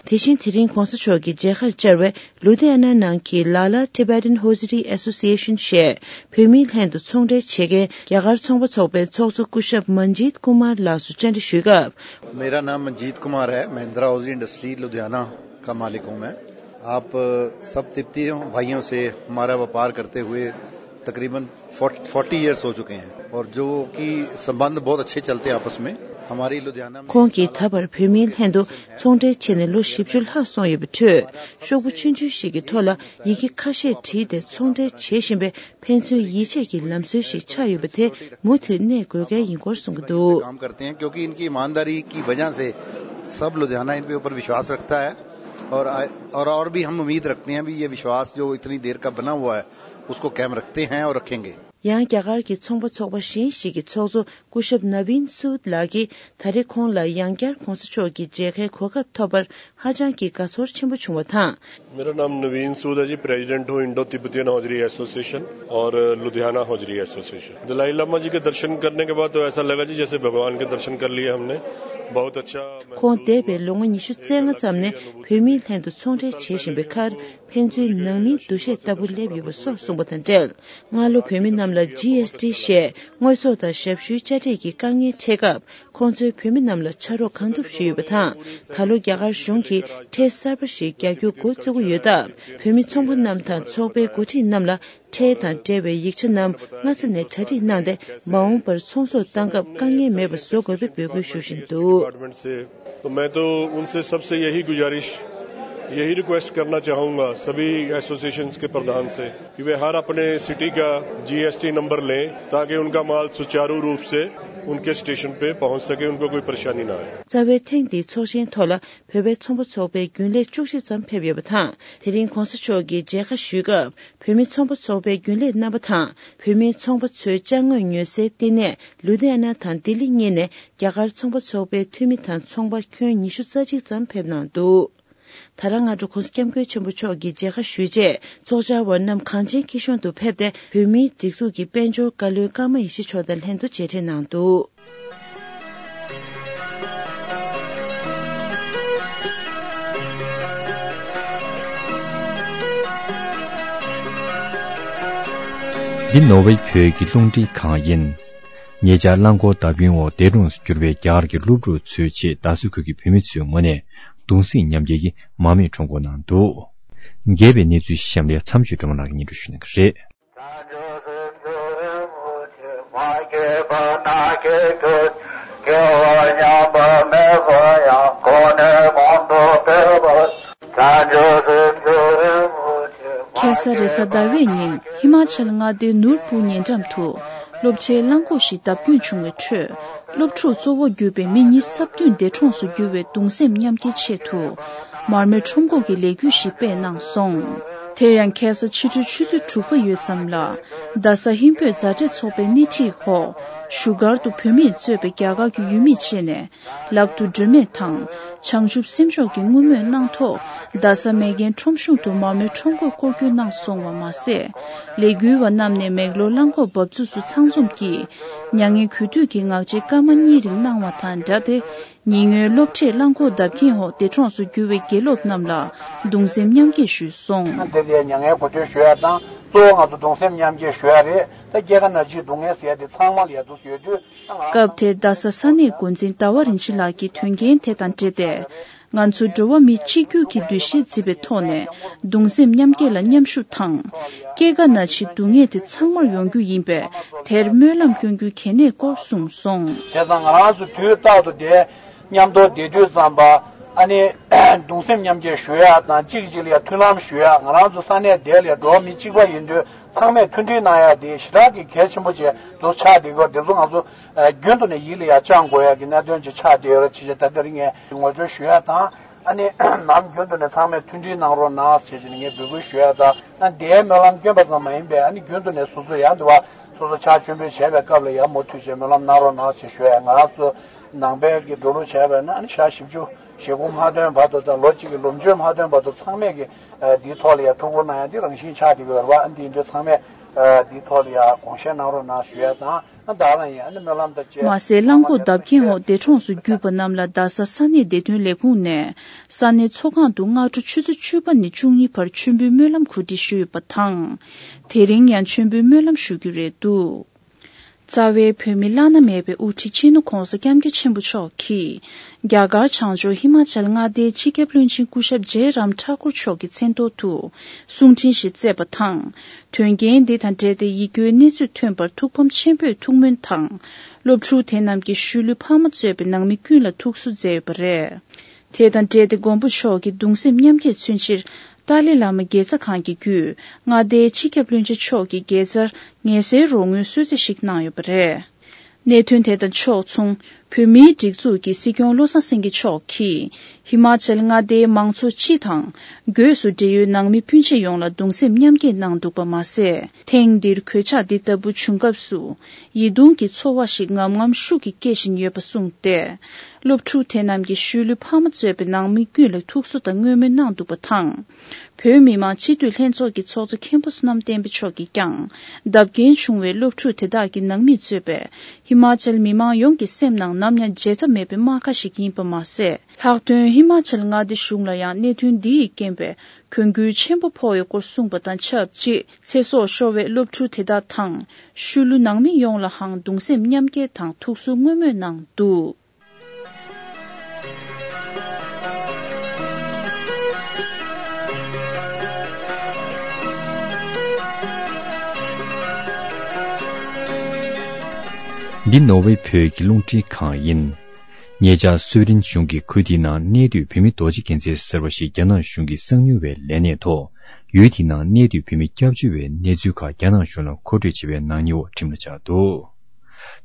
དེ་བཞིན་དེ་རིང་གོང་ས་མཆོག་གི་མཇལ་ཁར་བཅར་བའི་ལུ་དྷི་ཡ་ན་ནང་གི་ལ་ལ་Tibetan Hosiery Association ཞེས་བོད་མིའི་ལྷན་དུ་ཚོང་འབྲེལ་བྱེད་མཁན་རྒྱ་གར་ཚོང་པ་ཚོགས་པའི་ཚོགས་གཙོ་སྐུ་ཞབས་མན་ཇིད་ཀུ་མར་ལགས་སུ་བཅར་འདྲི་ཞུས་སྐབས། मेरा नाम मंजीत कुमार है। महिंद्रा हाउसिंग इंडस्ट्री लुधियाना का मालिक हूँ मैं। आप सब तिब्बतियों भाइयों से हमारा व्यापार करते हुए तकरीबन फ़ोर्टी ईयर्स हो चुके हैं और जो कि संबंध बहुत अच्छे चलते हैं आपस में। हमारी लुधियाना में ཁོང་གིས་ད་བར་བོད་མིའི་ལྷན་དུ་ཚོང་འབྲེལ་བྱས་ནས་ལོ་བཞི་བཅུ་ལྷག་སོང་ཡོད་པའི་ཁྲོད། ཤོག་བུ་ཆུང་ཆུང་ཞིག་གི་ཐོག་ལ་ཡི་གེ་ཁ་ཤས་བྲིས་ཏེ་ཚོང་འབྲེལ་བྱེད་བཞིན་པའི་ཕན་ཚུན་ཡིད་ཆེས་ཀྱི་ལམ་སྲོལ་ཞིག་ཆགས་ཡོད་པ་དེ་མུ་མཐུད་གནས་དགོས་གལ་ཡིན་སྐོར་གསུངས་ཀྱི་འདུག། काम करते हैं, क्योंकि इनकी ईमानदारी की वजह से सब लुधियाना इन पे ऊपर विश्वास रखता है और, और, और भी हम उम्मीद रखते हैं भी ये विश्वास जो इतनी देर का बना हुआ है, उसको कायम रखते हैं और रखेंगे। ཡང་རྒྱ་གར་གྱི་ཚོང་པ་ཚོགས་པ་གཞན་ཞིག་གི་ཚོགས་གཙོ་སྐུ་ཞབས་ནཱ་ཝིན་སུད་ལགས་ཀྱིས་ད་རེས་ཁོང་ལ་ཡང་བསྐྱར་གོང་ས་མཆོག་གི་མཇལ་ཁའི་གོ་སྐབས་ཐོབ་པར་ཧ་ཅང་གི་དགའ་ཚོར་ཆེན་པོ་བྱུང་བ་དང་། मेरा नाम नवीन सूद है जी, प्रेसिडेंट हूँ इंडो तिब्बतियन हौजरी एसोसिएशन और लुधियाना हौजरी एसोसिएशन। दलाई लामा जी के दर्शन करने के बाद तो ऐसा लगा जी जैसे भगवान के दर्शन कर लिए हमने। बहुत अच्छा महसूस हुआ। ཁོང་འདས་པའི་ལོ་ངོ་ཉི་ཤུ་རྩ་ལྔ་ཙམ་ནས་བོད་མིའི་ལྷན་དུ་ཚོང་འབྲེལ་བྱེད་བཞིན་པའི་ཁར། ཕན་ཚུན་ནང་མིའི་འདུ་ཤེས་ལྟ་བུ་སླེབས་ཡོད་པ་སོགས་གསུངས་པ་དང་འབྲེལ། སྔ་ལོ་བོད་མི་རྣམས་ལ་GST ཞེས་དངོས་ཟོག་དང་ཞབས་ཞུའི་དཔྱ་ཁྲལ་གྱི་དཀའ་ངལ་འཕྲད་སྐབས། ཁོང་ཚོས་བོད་མི་རྣམས་ལ་ཕྱག་རོགས་གང་ཐུབ་ཞུས་ཡོད་པ་དང་། ད་ལོ་རྒྱ་གར་གཞུང་གིས་ཁྲལ་གསར་པ་ཞིག་རྒྱག་རྒྱུ་འགོ་བཙུགས་ཀྱི་ཡོད་སྟབས། བོད་མི་ཚོང་པ་རྣམས་དང་ཚོགས་པའི་འགོ་ཁྲིད་རྣམས་ལ་ཁྲལ་དང་འབྲེལ་བའི་ཡིག་ཆ་རྣམས་སྔ་ས་ནས་གྲ་སྒྲིག་གནང་སྟེ། མ་འོངས་པར་ཚོང་ཟོག་བཏང་སྐབས་དཀའ་ངལ་མེད་པ་བཟོ་དགོས་པའི་འབོད་སྐུལ་ཞུ་བཞིན་འདུག། डिपार्टमेंट से तो मैं तो उनसे सबसे यही गुजारिश, यही रिक्वेस्ट करना चाहूँगा सभी एसोसिएशंस के प्रधान से कि वे हर अपने सिटी का जीएसटी नंबर लें, ताकि उनका माल सुचारू रूप से उनके स्टेशन पे पहुंच सके, उनको कोई परेशानी ना आए। རྩ་བའི་ཐེངས་འདིའི་ཚོགས་ཆེན་ཐོག་ལ་བོད་པའི་ཚོང་པ་ཚོགས་པའི་རྒྱུན་ལས་བཅུ་གཅིག་ཙམ་ཕེབས་ཡོད་པ་དང་། དེ་རིང་གོང་ས་མཆོག་གིས་མཇལ་ཁ་ཞུས་སྐབས། བོད་མི་ཚོང་པ་ཚོགས་པའི་རྒྱུན་ལས་རྣམ་པ་དང་། བོད་མི་ཚོང་པ་ཚོའི་ཅ་དངོས་ཉོ་སའི་བསྟི་གནས་ལུ་དྷི་ཡ་ན་དང་ལྡི་ལི་གཉིས་ནས་རྒྱ་གར་ཚོང་པ་ཚོགས་པའི་འཐུས་མི་དང་ཚོང་པ་ཁྱོན་ཉི་ཤུ་རྩ་གཅིག་ཙམ་ཕེབས་གནང་འདུག། ད་རང་སྔ་དྲོ་གོང་ས་སྐྱབས་མགོན་ཆེན་པོ་མཆོག་གིས་མཇལ་ཁ་ཞུས་རྗེས། ཚོགས་བཅར་བ་རྣམས་གངས་ཅན་སྐྱིད་གཤོངས་དུ་ཕེབས་ཏེ། བོད་མིའི་སྒྲིག་འཛུགས་ཀྱི་དཔལ་འབྱོར་བཀའ་བློན་ཀརྨ་ཡེ་ཤེས་མཆོག་དང་ལྷན་དུ་མཇལ་འཕྲད་གནང་འདུག། འདི་ནོར་ཝེ་བོད་ཀྱི་རླུང་འཕྲིན་ཁང་ཡིན། ཉེ་ཆར་རླངས་འཁོར་བརྡབ་སྐྱོན་འོག་འདས་གྲོངས་སུ་གྱུར་པའི་རྒྱ་གར་གྱི་སློབ་ཕྲུག་ཚོའི་ཆེད་རྡ་ས་ཁུལ་གྱི་བོད་མི་ཚོའི་ངོས་ནས་གདུང་སེམས་མཉམ་སྐྱེད་ཀྱི་མར་མེ་ཁྲོམ་སྐོར་གནང་འདུག། རྒྱས་པའི་གནས་ཚུལ་གཤམ་ལ་མཚམས་གཅོད་སྒྲོལ་མ་ལགས་ཀྱིས་སྙན་སྒྲོན་ཞུ་གནང་གི་རེད། ཁ་སང་རེས་གཟའ་ཟླ་བའི་ཉིན་ཧི་མ་ཅལ་མངའ་སྡེའི་ནུར་བུར་ཉེ་འགྲམ་དུ་སློབ་ཆེན་རླངས་འཁོར་ཞིག་བརྡབ་སྐྱོན་བྱུང་བའི་ཁྲོད། སློབ་ཕྲུག་གཙོ་བོ་གྱུར་པའི་མི་ཉི་ཤུ་རྩ་བདུན་འདས་གྲོངས་སུ་གྱུར་བའི་གདུང་སེམས་མཉམ་སྐྱེའི་ཆེད་དུ། མར་མེ་ཁྲོམ་སྐོར་གྱི་ལས་འགུལ་ཞིག་སྤེལ་གནང་སོང་། དེ་ཡང་ཁ་སང་ཕྱི་དྲོའི་ཆུ་ཚོད་དྲུག་པ་ཡོལ་ཙམ་ལ། རྡ་ས་ཧིན་བོད་མཛའ་འབྲེལ་ཚོགས་པའི་སྣེ་ཁྲིད་འོག་བཞུགས་སྒར་དུ་བོད་མིས་གཙོས་པའི་རྒྱ་གར་གྱི་ཡུལ་མི་བཅས་ནས། ལག་ཏུ་སྒྲོན་མེ་དང་ བྱང་ཆུབ་སེམས་མཆོག་གིས་བསྔོ་སྨོན་གནང་ཐོག་རྡ་ས་མེག་གྷན་ཁྲོམ་གཞུང་དུ་མ་རྨོས་ཁྲོམ་སྐོར་སྐོར་སྐྱོད་གནང་སོང་བ་མ་ཟད། ལས་འགུལ་བ་རྣམས་ནས་མེག་ལོར་རླངས་འཁོར་འབབ་ཚུགས་སུ་ཚང་འཛོམས་ཀྱིས་མྱ་ངན་གུས་འདུད་ཀྱི་ངག་བཅད་སྐར་མ་གཉིས་རིང་གནང་བ་དང་སྦྲགས་ཏེ། ཉེ་སྔོན་སློབ་གྲྭས་རླངས་འཁོར་བརྡབ་འཁྱེར་འོག་འདས་གྲོངས་སུ་གྱུར་བའི་དགེ་སློབ་རྣམས་ལ་གདུང་སེམས་མཉམ་སྐྱེད་ཞུས་སོང་། འདི་ལས་མྱ་ངན་གོ་ཐོས་ཞུ་ཡ་དང་གཙོ་བོ་ང་ཚོ་གདུང་སེམས་མཉམ་སྐྱེད་ཞུ་ཡ་རེད། ད་སྐྱེ་རྒ་ན་འཆིའི་སྡུག་བསྔལ་ཟེར་ཡ་དེ་ཚང་མ་ལ་ཡ་འདུག་ཡོད་དུས། སྐབས་དེར་རྡ་ས་ས་གནས་འགོ་འཛིན་ཟླ་བ་རིན་ཆེན་ལགས་ཀྱིས་དོན་རྐྱེན་དེ་དང་འབྲེལ་ཏེ། ང་ཚོ་འགྲོ་བ་མི་གཅིག་གྱུར་གྱི་འདུ་ཤེས་འཛིན་པའི་ཐོག་ནས་གདུང་སེམས་མཉམ་སྐྱེད་ལ་མཉམ་ཞུགས་དང་། སྐྱེ་རྒ་ན་འཆིའི་སྡུག་བསྔལ་དེ་ཚང་མར་ཡོང་རྒྱུ་ཡིན་པས། དེར་སྨོན་ལམ་སྐྱོན་རྒྱུ་གལ་གནད་སྐོར་གསུངས་སོང་། བྱས་ཙང་ང་རང་ཚོ་དུས་རྟག་ཏུ་དེ་མཉམ་དུ་བསྡད་དུས་ཙམ་པ་ཨ་ནི་གདུང་སེམས་མཉམ་སྐྱེད་ཞུ་ཡ་དང་གཅིག་གཅིག་ལ་ཡ་མཐུན་ལམ་ཞུ་ཡ། ང་རང་ཚོ་ས་གནས་དེ་ལ་ཡ་འགྲོ་བ་མི་གཅིག་པ་ཡིན་དུས་ཚང་མས་མཐུན་སྒྲིལ་གནང་ཡ་དེ་ཞེ་དྲག་གི་གལ་ཆེན་པོ་བྱས་འདུག་ཆགས་བསྡད་ཡོད། དེ་ཚོ་ང་ཚོ་རྒྱུན་དུ་ནས་ཡིད་ལ་ཡ་བཅངས་དགོས་ཡ་གི་གནད་དོན་ཅིག་ཆགས་བསྡད་ཡོད་རེད། ཅེས་ད་ལྟ་རིང་ངས་ངོ་སྤྲོད་ཞུ་ཡ་དང་། ཨ་ནི་ནམ་རྒྱུན་དུ་ནས་ཚང་མས་མཐུན་སྒྲིལ་གནང་རོགས་གནང་ཞེས་བྱས་ནས་ངས་འབོད་སྐུལ་ཞུ་ཡ་དང་། ཨ་འདིའི་སྨོན་ལམ་སྐྱོན་པ་ཙམ་མ་ཡིན་པའི་ཨ་ནི་རྒྱུན་དུ་ནས་སོ་སོ་ཡང་འདི་བ་སོ་སོ་ཕྱག་མཆོད་འབུལ་བྱས་པའི་སྐབས་ལ་ཡང་མུ་མཐུད་བྱས་སྨོན་ལམ་གནང་རོགས་གནང་ཞེས་ཞུ་ཡ། ང་རང་ཚོ་ནང་པའི་གི་འགྲོ་ལུགས་བྱས་པས་ན་ཨ་ནི་ཞག་བཞི་བཅུ་ཞེ་དགུ་མ་ཐོན་བར་དུ་དང་ལོ་གཅིག་གི་ལོ་མཆོད་མ་ཐོན་བར་དུ་ཚང་མས་ཀྱི་འདིའི་ཐོག་ལ་ཡང་ཐུགས་ཁུར་གནང་ཡ་འདི་རང་བཞིན་ཆགས་བསྡད་ཀྱི་ཡོད་རེད་བ། ཨ་འདི་ཡིན་དུས་ཚང་མས་འདིའི་ཐོག་ལ་ཡང་དགོངས་བཞེས་གནང་རོགས་གནང་ཞུ་ཡ་དང་། ཨ་ད་རང་ཡིན་ཨ་ནི་སྨོན་ལམ་དང་བཅས། མ་ཟད་རླངས་འཁོར་བརྡབ་འཁྱེར་འོག་འདས་གྲོངས་སུ་གྱུར་པ་རྣམས་ལ་རྡ་ས་ས་གནས་བདེ་དོན་ལས་ཁུངས་ནས་ས་གནས་ཚོགས་ཁང་དུ་སྔ་དྲོ་ཆུ་ཚོད་བཅུ་པ་ནས་བཅུ་གཉིས་བར་མཆོད་འབུལ་སྨོན་ལམ་གོ་སྒྲིག་ཞུས་ཡོད་པ་དང་། དེ་རིང་ཡང་མཆོད་འབུལ་སྨོན་ལམ་ཞུ་རྒྱུ་རེད་འདུག་རྩ་བའི་བོད་མི་བླ་ན་མེད་པའི་དབུ་ཁྲིད་སྤྱི་ནོར་༧གོང་ས་༧སྐྱབས་མགོན་ཆེན་པོ་མཆོག་གིས་རྒྱ་གར་བྱང་ཕྱོགས་ཧི་མ་ཅལ་མངའ་སྡེའི་སྤྱི་ཁྱབ་བློན་ཆེན་སྐུ་ཞབས་ཇེ་རམ་ཐ་ཀུར་མཆོག་གི་མཚན་ཐོག་ཏུ་གསུང་འཕྲིན་ཞིག་བསྩལ་བ་དང་། དོན་རྐྱེན་འདི་དང་འབྲེལ་ཏེ་ཡིད་སྐྱོའི་གནས་ཚུལ་ཐོན་པར་ཐུགས་ཕམ་ཆེན་པོས་ཐུགས་སྨོན་དང་། སློབ་ཕྲུག་དེ་རྣམས་ཀྱི་ཤུལ་ལུས་ཕ་མ་གཙོས་པའི་ནང་མི་ཀུན་ལ་ཐུགས་གསོ་མཛད་ཡོད་པ་རེད། དེ་དང་འབྲེལ་ཏེ་མགོན་པོ་མཆོག་གི་གདུང་སེམས་མཉམ་སྐྱེད་མཚོན་ཕྱིར་ཏཱ་ལའི་བླ་མ་དགེ་རྩ་ཁང་གི་བརྒྱུད་མངའ་སྡེའི་སྤྱི་ཁྱབ་བློན་ཆེན་མཆོག་གི་དགེ་རྩར་ངལ་སེལ་རོགས་དངུལ་གསོལ་ཚིགས་ཤིག་གནང་ཡོད་པ་རེད། གནད་དོན་དེ་དང་ཕྱོགས་མཚུངས། བོད་མིའི་སྒྲིག་འཛུགས་ཀྱི་སྲིད་སྐྱོང་བློ་བཟང་སེང་གེ་མཆོག་གིས་ཧི་མ་ཅལ་མངའ་སྡེའི་མང་ཚོགས་སྤྱི་དང་། སྒོས་སུ་འབྲེལ་ཡོད་ནང་མི་སྤུན་མཆེད་ཡོངས་ལ་གདུང་སེམས་མཉམ་སྐྱེད་གནང་འདུག་པ་མ་ཟད། ཐེངས་འདིར་གོད་ཆག་འདི་ལྟ་བུ་བྱུང་སྐབས་སུ་ཡིད་གདུང་གི་ཚོར་བ་ཞིག་ངམ་ངམ་ཤུགས་ཀྱིས་སྐྱེ་བཞིན་ཡོད་པ་གསུངས་ཏེ། སློབ་ཕྲུག་དེ་རྣམས་ཀྱི་ཤུལ་ལུས་ཕ་མ་གཙོས་པའི་ནང་མི་ཀུན་ལ་ཐུགས་གསོ་དང་བསྔོ་སྨོན་གནང་འདུག་པ་དང་། བོད་མི་མང་སྤྱི་འཐུས་ལྷན་ཚོགས་ཀྱི་ཚོགས་གཙོ་མཁན་པོ་བསོད་ནམས་བསྟན་འཕེལ་མཆོག་གིས་ཀྱང་བརྡབ་སྐྱོན་བྱུང་བའི་སློབ་ཕྲུག་དེ་དག་གི་ནང་མིས་གཙོས་པའི་ཧི་མ་ཅལ་མི་མང་ཡོངས་ཀྱི་སེམས་ནང་ནམ་ཡང་བརྗེད་ཐབས་མེད་པའི་རྨ་ཁ་ཞིག་ཡིན་པ་མ་ཟད། ལྷག་དོན་ཧི་མ་ཅལ་མངའ་སྡེ་གཞུང་ལ་ཡང་གནད་དོན་འདི་ཡི་རྐྱེན་པས་གྱོང་གུན་ཆེན་པོ་ཕོག་ཡོད་སྐོར་གསུངས་པ་དང་ཆབས་ཅིག་ཚེ་སྲོག་ཤོར་བའི་སློབ་ཕྲུག་དེ་དག་དང་ཤུལ་ལུས་ནང་མི་ཡོངས་ལའང་གདུང་སེམས་མཉམ་སྐྱེད་དང་ཐུགས་གསོ་བསྔོ་སྨོན་གནང་འདུག་འདི་ནོར་ཝེ་བོད་ཀྱི་རླུང་འཕྲིན་ཁང་ཡིན། ཉེ་ཆར་སུའེ་ཏེན་གཞུང་གིས་ཁུལ་དེའི་ནང་གནས་སྡོད་བོད་མི་རྡོ་རྗེ་རྒྱལ་མཚན་ཟེར་བ་ཞིག་རྒྱ་ནག་གཞུང་གིས་གསང་ཉུལ་བའི་ལས་གནས་ཐོག་ཡུལ་དེའི་ནང་གནས་སྡོད་བོད་མི་སྐྱབས་བཅོལ་བའི་གནས་ཚུལ་ཁག་རྒྱ་ནག་གཞུང་ལ་མཁོ་སྤྲོད་བྱས་པའི་ནག་ཉེས་འོག་ཁྲིམས་ལ་སྦྱར་འདུག་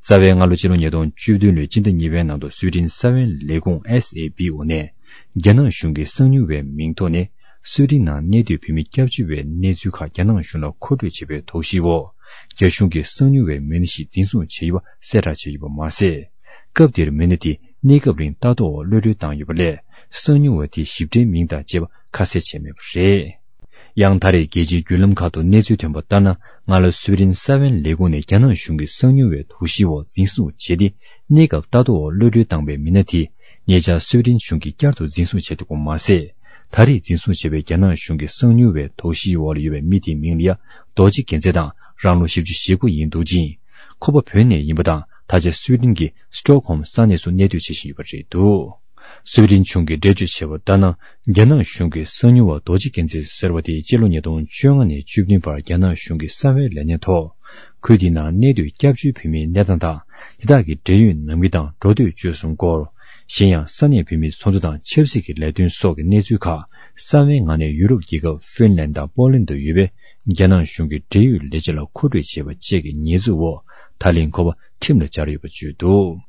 རྩ་བའི་སྔ་ལོ་སྤྱི་ལོ་ཉིས་སྟོང་བཅུ་བདུན་ལོའི་སྤྱི་ཟླ་གཉིས་པའི་ནང་དུ་སུའེ་ཏེན་གསང་བའི་ལས་ཁུངས་ཨེས་ཨེ་པི་འོག་ནས་རྒྱ་ནག་གཞུང་གིས་གསང་ཉུལ་བའི་མིང་ཐོག་ནས་སུའེ་ཏེན་ནང་གནས་སྡོད་བོད་མི་སྐྱབས་བཅོལ་བའི་གནས་ཚུལ་ཁག་རྒྱ་ནག་གཞུང་ལ་མཁོ་སྤྲོད་བྱས་པའི་དོགས་གཞིའི་འོག་རྒྱ་གཞུང་གིས་གསང་ཉུལ་བའི་མི་སྣ་ཞིག་འཛིན་བཟུང་བྱས་ཡོད་པ་གསལ་བསྒྲགས་བྱས་ཡོད་པ་མ་ཟད། སྐབས་དེར་མི་སྣ་དེ་གནས་སྐབས་རིང་ལྟ་རྟོག་འོག་གློད་གྲོལ་བཏང་ཡོད་པ་ལས། གསང་ཉུལ་བ་དེའི་ཞིབ་ཕྲའི་མིང་དང་བཅས་པ་ཁ་གསལ་བྱས་མེད་པ་རེད། ཡང་ད་རེས་རྒྱལ་སྤྱིའི་བརྒྱུད་ལམ་ཁག་ཏུ་གནས་ཚུལ་ཐོན་པ་ལྟར་ན། སྔ་ལོ་སུའེ་ཏེན་གསང་བའི་ལས་ཁུངས་ནས་རྒྱ་ནག་གཞུང་གིས་གསང་ཉུལ་བའི་དོགས་གཞིའི་འོག་འཛིན་བཟུང་བྱས་ཏེ། གནས་སྐབས་ལྟ་རྟོག་འོག་གློད་གྲོལ་བཏང་པའི་མི་སྣ་དེས་ཉེ་ཆར་སུའེ་ཏེན་གཞུང་གིས་བསྐྱར་དུ་འཛིན་བཟུང་བྱས་འདུག་པ་མ་ཟད། ད་རེས་འཛིན་བཟུང་བྱས་པའི་རྒྱ་ནག་གཞུང་གི་གསང་ཉུལ་བའི་དོགས་གཞིའི་འོག་ལ་ཡོད་པའི་མི་དེའི་མིང་ལ་ཡ་རྡོ་རྗེ་རྒྱལ་མཚན་དང་རང་ལོ་བཞི་བཅུ་ཞེ་དགུ་ཡིན་འདུག་ཅིང་། ཁོ་པ་བོད་ནས་ཡིན་པ་དང་། ད་ཆ་སུའེ་ཏེན་གྱི་སི་ཊོག་ཧོམ་ས་གནས་སུ་གནས་སྡོད་བྱེད་བཞིན་ཡོད་པ་རེད་འདུག་སུའེ་ཏེན་གཞུང་གིས་འགྲེལ་བརྗོད་བྱས་པ་ལྟར་ན། རྒྱ་ནག་གཞུང་གིས་གསང་ཉུལ་བ་རྡོ་རྗེ་རྒྱལ་མཚན་ཟེར་བ་དེ་སྤྱི་ལོ་ཉིས་སྟོང་བཅོ་ལྔ་ནས་བཅུ་བདུན་བར་རྒྱ་ནག་གཞུང་གི་གསང་བའི་ལས་གནས་ཐོག་ཁུལ་དེའི་ནང་གནས་སྡོད་སྐྱབས་བཅོལ་བོད་མིའི་གནས་སྟངས་དང་། དེ་དག་གི་འབྲེལ་ཡོད་ནང་མི་དང་འགྲོ་སྡོད་སྤྱོད་གསུམ་སྐོར། གཞན་ཡང་ས་གནས་བོད་མིའི་ཚོགས་འདུ་དང་ཆབ་སྲིད་ཀྱི་ལས་དོན་སོགས་ཀྱི་གནས་ཚུལ་ཁག་གསང་བའི་ངང་ནས་ཡུ་རོབ་རྒྱལ་ཁབ་ཧྥིན་ལན་དང་པོ་ལན་དུ་ཡོད་པའི་རྒྱ་ནག་གཞུང་གི་འབྲེལ་ཡོད་ལས་བྱེད་ལ་མཁོ་སྤྲོད་བྱས་པ་བཅས་ཀྱི་ཉེས་འཛུགས་འོག་ད་ལན་ཁོ་པ་ཁྲིམས་ལ་སྦྱར་ཡོད་པ་བརྗོད་འདུག་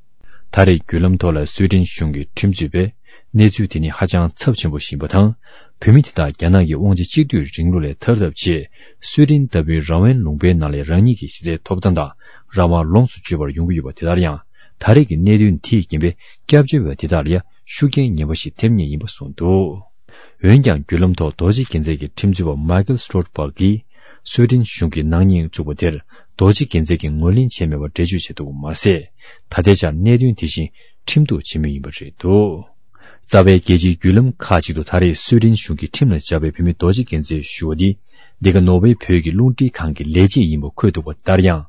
ད་རེས་བརྒྱུད་ལམ་ཐོག་ལ་སུའེ་ཏེན་གཞུང་གི་ཁྲིམས་རྩོད་པས། གནས་ཚུལ་དེ་ནི་ཧ་ཅང་ཚབས་ཆེན་པོ་ཞིག་ཡིན་པ་དང་། བོད་མི་དེ་དག་རྒྱ་ནག་གི་དབང་ཆ་གཅིག་སྡུད་རིང་ལུགས་ལས་ཐར་ཐབས་ཆེད། སུའེ་ཏེན་ལྟ་བུའི་རང་དབང་ལུང་པའི་ནང་ལས་རང་ཉིད་ཀྱི་གཞི་རྩའི་ཐོབ་ཐང་དང་རང་དབང་ལོངས་སུ་སྤྱོད་པར་ཡོང་གི་ཡོད་པ་དེ་ལྟར་ཡང་། ད་རེས་ཀྱི་གནད་དོན་དེས་རྐྱེན་པས་སྐྱབས་བཅོལ་བ་དེ་དག་ལ་ཡང་ ཤུགས་རྐྱེན་ངན་པ་ཞིག་ཐེབས་ངེས་ཡིན་པ་གསུངས་འདུག་འོན་ཀྱང་བརྒྱུད་ལམ་ཐོག་རྡོ་རྗེ་རྒྱལ་མཚན་གྱི་ཁྲིམས་རྩོད་པ་མཱ་ཀལ་སི་ཊོལ་པག་གིས་སུའེ་ཌེན་གཞུང་གི་ནག་ཉེས་བཙུགས་པ་དེར་རྡོ་རྗེ་རྒྱལ་མཚན་གྱིས་ངོས་ལེན་བྱས་མེད་པར་འགྲེལ་བརྗོད་བྱས་འདུག་པ་མ་ཟད། ད་ལྟའི་ཆར་གནད་དོན་དེ་བཞིན་ཁྲིམས་གཏུག་བྱེད་མུས་ཡིན་པ་རེད་འདུག་རྩ་བའི་རྒྱལ་སྤྱིའི་བརྒྱུད་ལམ་ཁག་ཅིག་ཏུ་ད་རེས་སུའེ་ཌེན་གཞུང་གིས་ཁྲིམས་ལ་འཇགས་པའི་བུད་མེད་རྡོ་རྗེ་རྒྱལ་མཚན་ཞུ་བ་འདི་འདི་ག་ནོར་ཝེ་བོད་ཀྱི་རླུང་འཕྲིན་ཁང་གི་ལས་བྱེད་ཡིན་པ་འཁོད་འདུག་པ་ལྟར་ཡང་།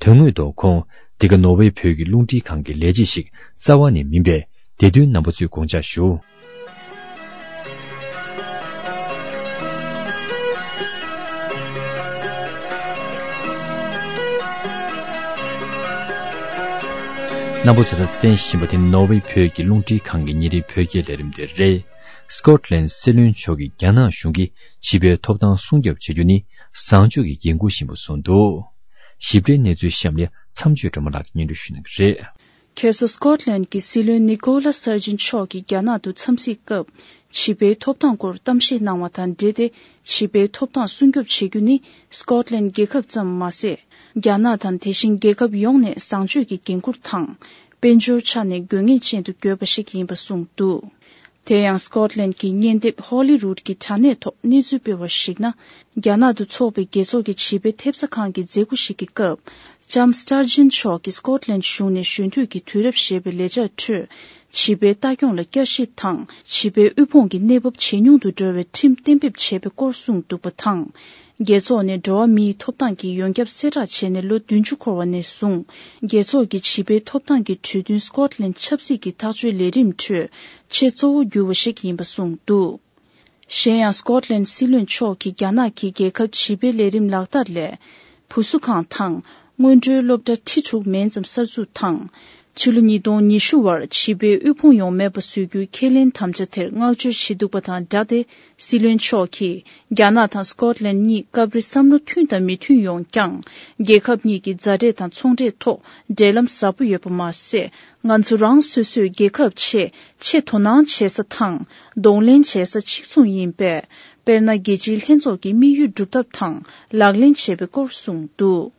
དོན་དངོས་ཐོག་ཁོང་འདི་ག་ནོར་ཝེ་བོད་ཀྱི་རླུང་འཕྲིན་ཁང་གི་ལས་བྱེད་ཞིག་རྩ་བ་ནས་མིན་པས། དེ་དོན་རྣམ་པ་ཚོས་དགོངས་འཇགས་ཞུ། རྣམ་པ་ཚོས་ད་གསན་བཞིན་པ་དེ་ནོར་ཝེ་བོད་ཀྱི་རླུང་འཕྲིན་ཁང་གི་ཉིན་རེའི་བོད་སྐད་ལས་རིམ་དེ་རེད། སི་ཀོཊ་ལན་སྲིད་བློན་མཆོག་གིས་རྒྱ་ནག་གཞུང་གིས་བྱིས་པའི་ཐོབ་ཐང་སྲུང་སྐྱོབ་བྱེད་རྒྱུ་ནི་བཟང་སྤྱོད་ཀྱི་འགན་འཁུར་ཞིག་ཡིན་པ་གསུངས་འདུག་ཞིབ་ཕྲའི་གནས་ཚུལ་གཤམ་ལ་མཚམས་གཅོད་སྒྲོལ་མ་ལགས་ཀྱིས་སྙན་སྒྲོན་ཞུ་གནང་གི་རེད། ཁ་སང་སི་ཀོཊ་ལན་གྱི་སྲིད་བློན་ནི་ཀོ་ལ་སར་ཇིན་མཆོག་གིས་རྒྱ་ནག་ཏུ་འཚམས་གཟིགས་སྐབས། བྱིས་པའི་ཐོབ་ཐང་སྐོར་གཏམ་བཤད་གནང་བ་དང་འབྲེལ་ཏེ། བྱིས་པའི་ཐོབ་ཐང་སྲུང་སྐྱོབ་བྱེད་རྒྱུ་ནི་སི་ཀོཊ་ལན་རྒྱལ་ཁབ་ཙམ་མ་ཟད། རྒྱ་ནག་དང་དེ་བཞིན་རྒྱལ་ཁབ་ཡོངས་ནས་བཟང་སྤྱོད་ཀྱི་འགན་འཁུར་དང་། དཔལ་འབྱོར་ཆ་ནས་དགོས་ངེས་ཅན་དུ་གྱུར་པ་ཞིག་ཡིན་པ་གསུངས་འདུག་དེ་ཡང་སི་ཀོཊ་ལན་གྱི་བརྙན་དེབ་ཧོ་ལི་རུད་ཀྱི་དྲ་གནས་ཐོག་གནས་ཚུལ་སྤེལ་བར་གཞིགས་ན། རྒྱ་ནག་ཏུ་འཚོགས་པའི་རྒྱལ་ཚོགས་ཀྱི་བྱིས་པའི་ཐེབས་རྩ་ཁང་གི་མཛད་སྒོ་ཞིག་གི་སྐབས། ལྕམ་སི་ཊར་ཇིན་མཆོག་གིས་སི་ཀོཊ་ལན་གཞུང་ནས་གཞོན་དུས་ཀྱི་དུས་རབས་ཞེས་པའི་ལས་འཆར་ཁྲོད། བྱིས་པའི་ལྟ་སྐྱོང་ལ་བསྐྱར་ཞིབ་དང་། བྱིས་པའི་དབུལ་ཕོངས་ཀྱི་གནས་བབ་ཇེ་ཉུང་དུ་འགྲོ་བའི་ཁྲིམས་གཏན་འབེབས་བྱས་པའི་སྐོར་གསུངས་འདུག་པ་དང་། རྒྱལ་ཚོགས་ནས་འགྲོ་བ་མིའི་ཐོབ་ཐང་གི་ཡོངས་ཁྱབ་གསལ་བསྒྲགས་བྱས་ནས་ལོ་བདུན་ཅུ་འཁོར་བ་ནས་བཟུང་། རྒྱལ་ཚོགས་ཀྱི་བྱིས་པའི་ཐོབ་ཐང་གི་གྲོས་མཐུན་སི་ཀོཊ་ལན་ཆབ་སྲིད་ཀྱི་ཐག་གཅོད་ལས་རིམ་ཁྲོད་ཆེས་གཙོ་བོ་གྱུར་བ་ཞིག་ཡིན་པ་གསུངས་འདུག་གཞན་ཡང་སི་ཀོཊ་ལན་སྲིད་བློན་མཆོག་གིས་རྒྱ་ནག་གིས་རྒྱལ་ཁབ་བྱིས་པའི་ལས་རིམ་ལག་བསྟར་ལས། བུ་གསོ་ཁང་དང་། སྔོན་འགྲོའི་སློབ་གྲྭ་ཁྲི་དྲུག་མན་ཙམ་གསར་འཛུགས་དང་། ཕྱི་ལོ་ཉིས་སྟོང་ཉི་ཤུ་བར་བྱིས་པའི་དབུལ་ཕོངས་ཡོང་མེད་པ་བཟོ་རྒྱུའི་ཁས་ལེན་དམ་བཅའ་དེར་བསྔགས་བརྗོད་བྱེད་འདུག་པ་དང་སྦྲགས་ཏེ། སྲིད་བློན་མཆོག་གིས། རྒྱ་ནག་དང་སི་ཀོཊ་ལན་གཉིས་སྐབས་རེ་བསམ་བློ་མཐུན་དང་མི་མཐུན་ཡོང་ཀྱང་། རྒྱལ་ཁབ་གཉིས་ཀྱི་མཛའ་འབྲེལ་དང་ཚོང་འབྲེལ་ཐོག་འབྲེལ་ལམ་ཟབ་པོ་ཡོད་པ་མ་ཟད། ང་ཚོ་རང་སོ་སོའི་རྒྱལ་ཁབ་ཆེད་ཆེས་དོ་སྣང་བྱེད་ས་དང་། གདོང་ལེན་བྱེད་ས་གཅིག་མཚུངས་ཡིན་པས། དཔེར་ན། རྒྱལ་སྤྱིའི་ལྷན་ཚོགས་ཀྱི་དམིགས་ཡུལ་སྒྲུབ་ཐབས་དང་ལག་ལེན་བྱེད་པའི་སྐོར་གསུངས་འདུག་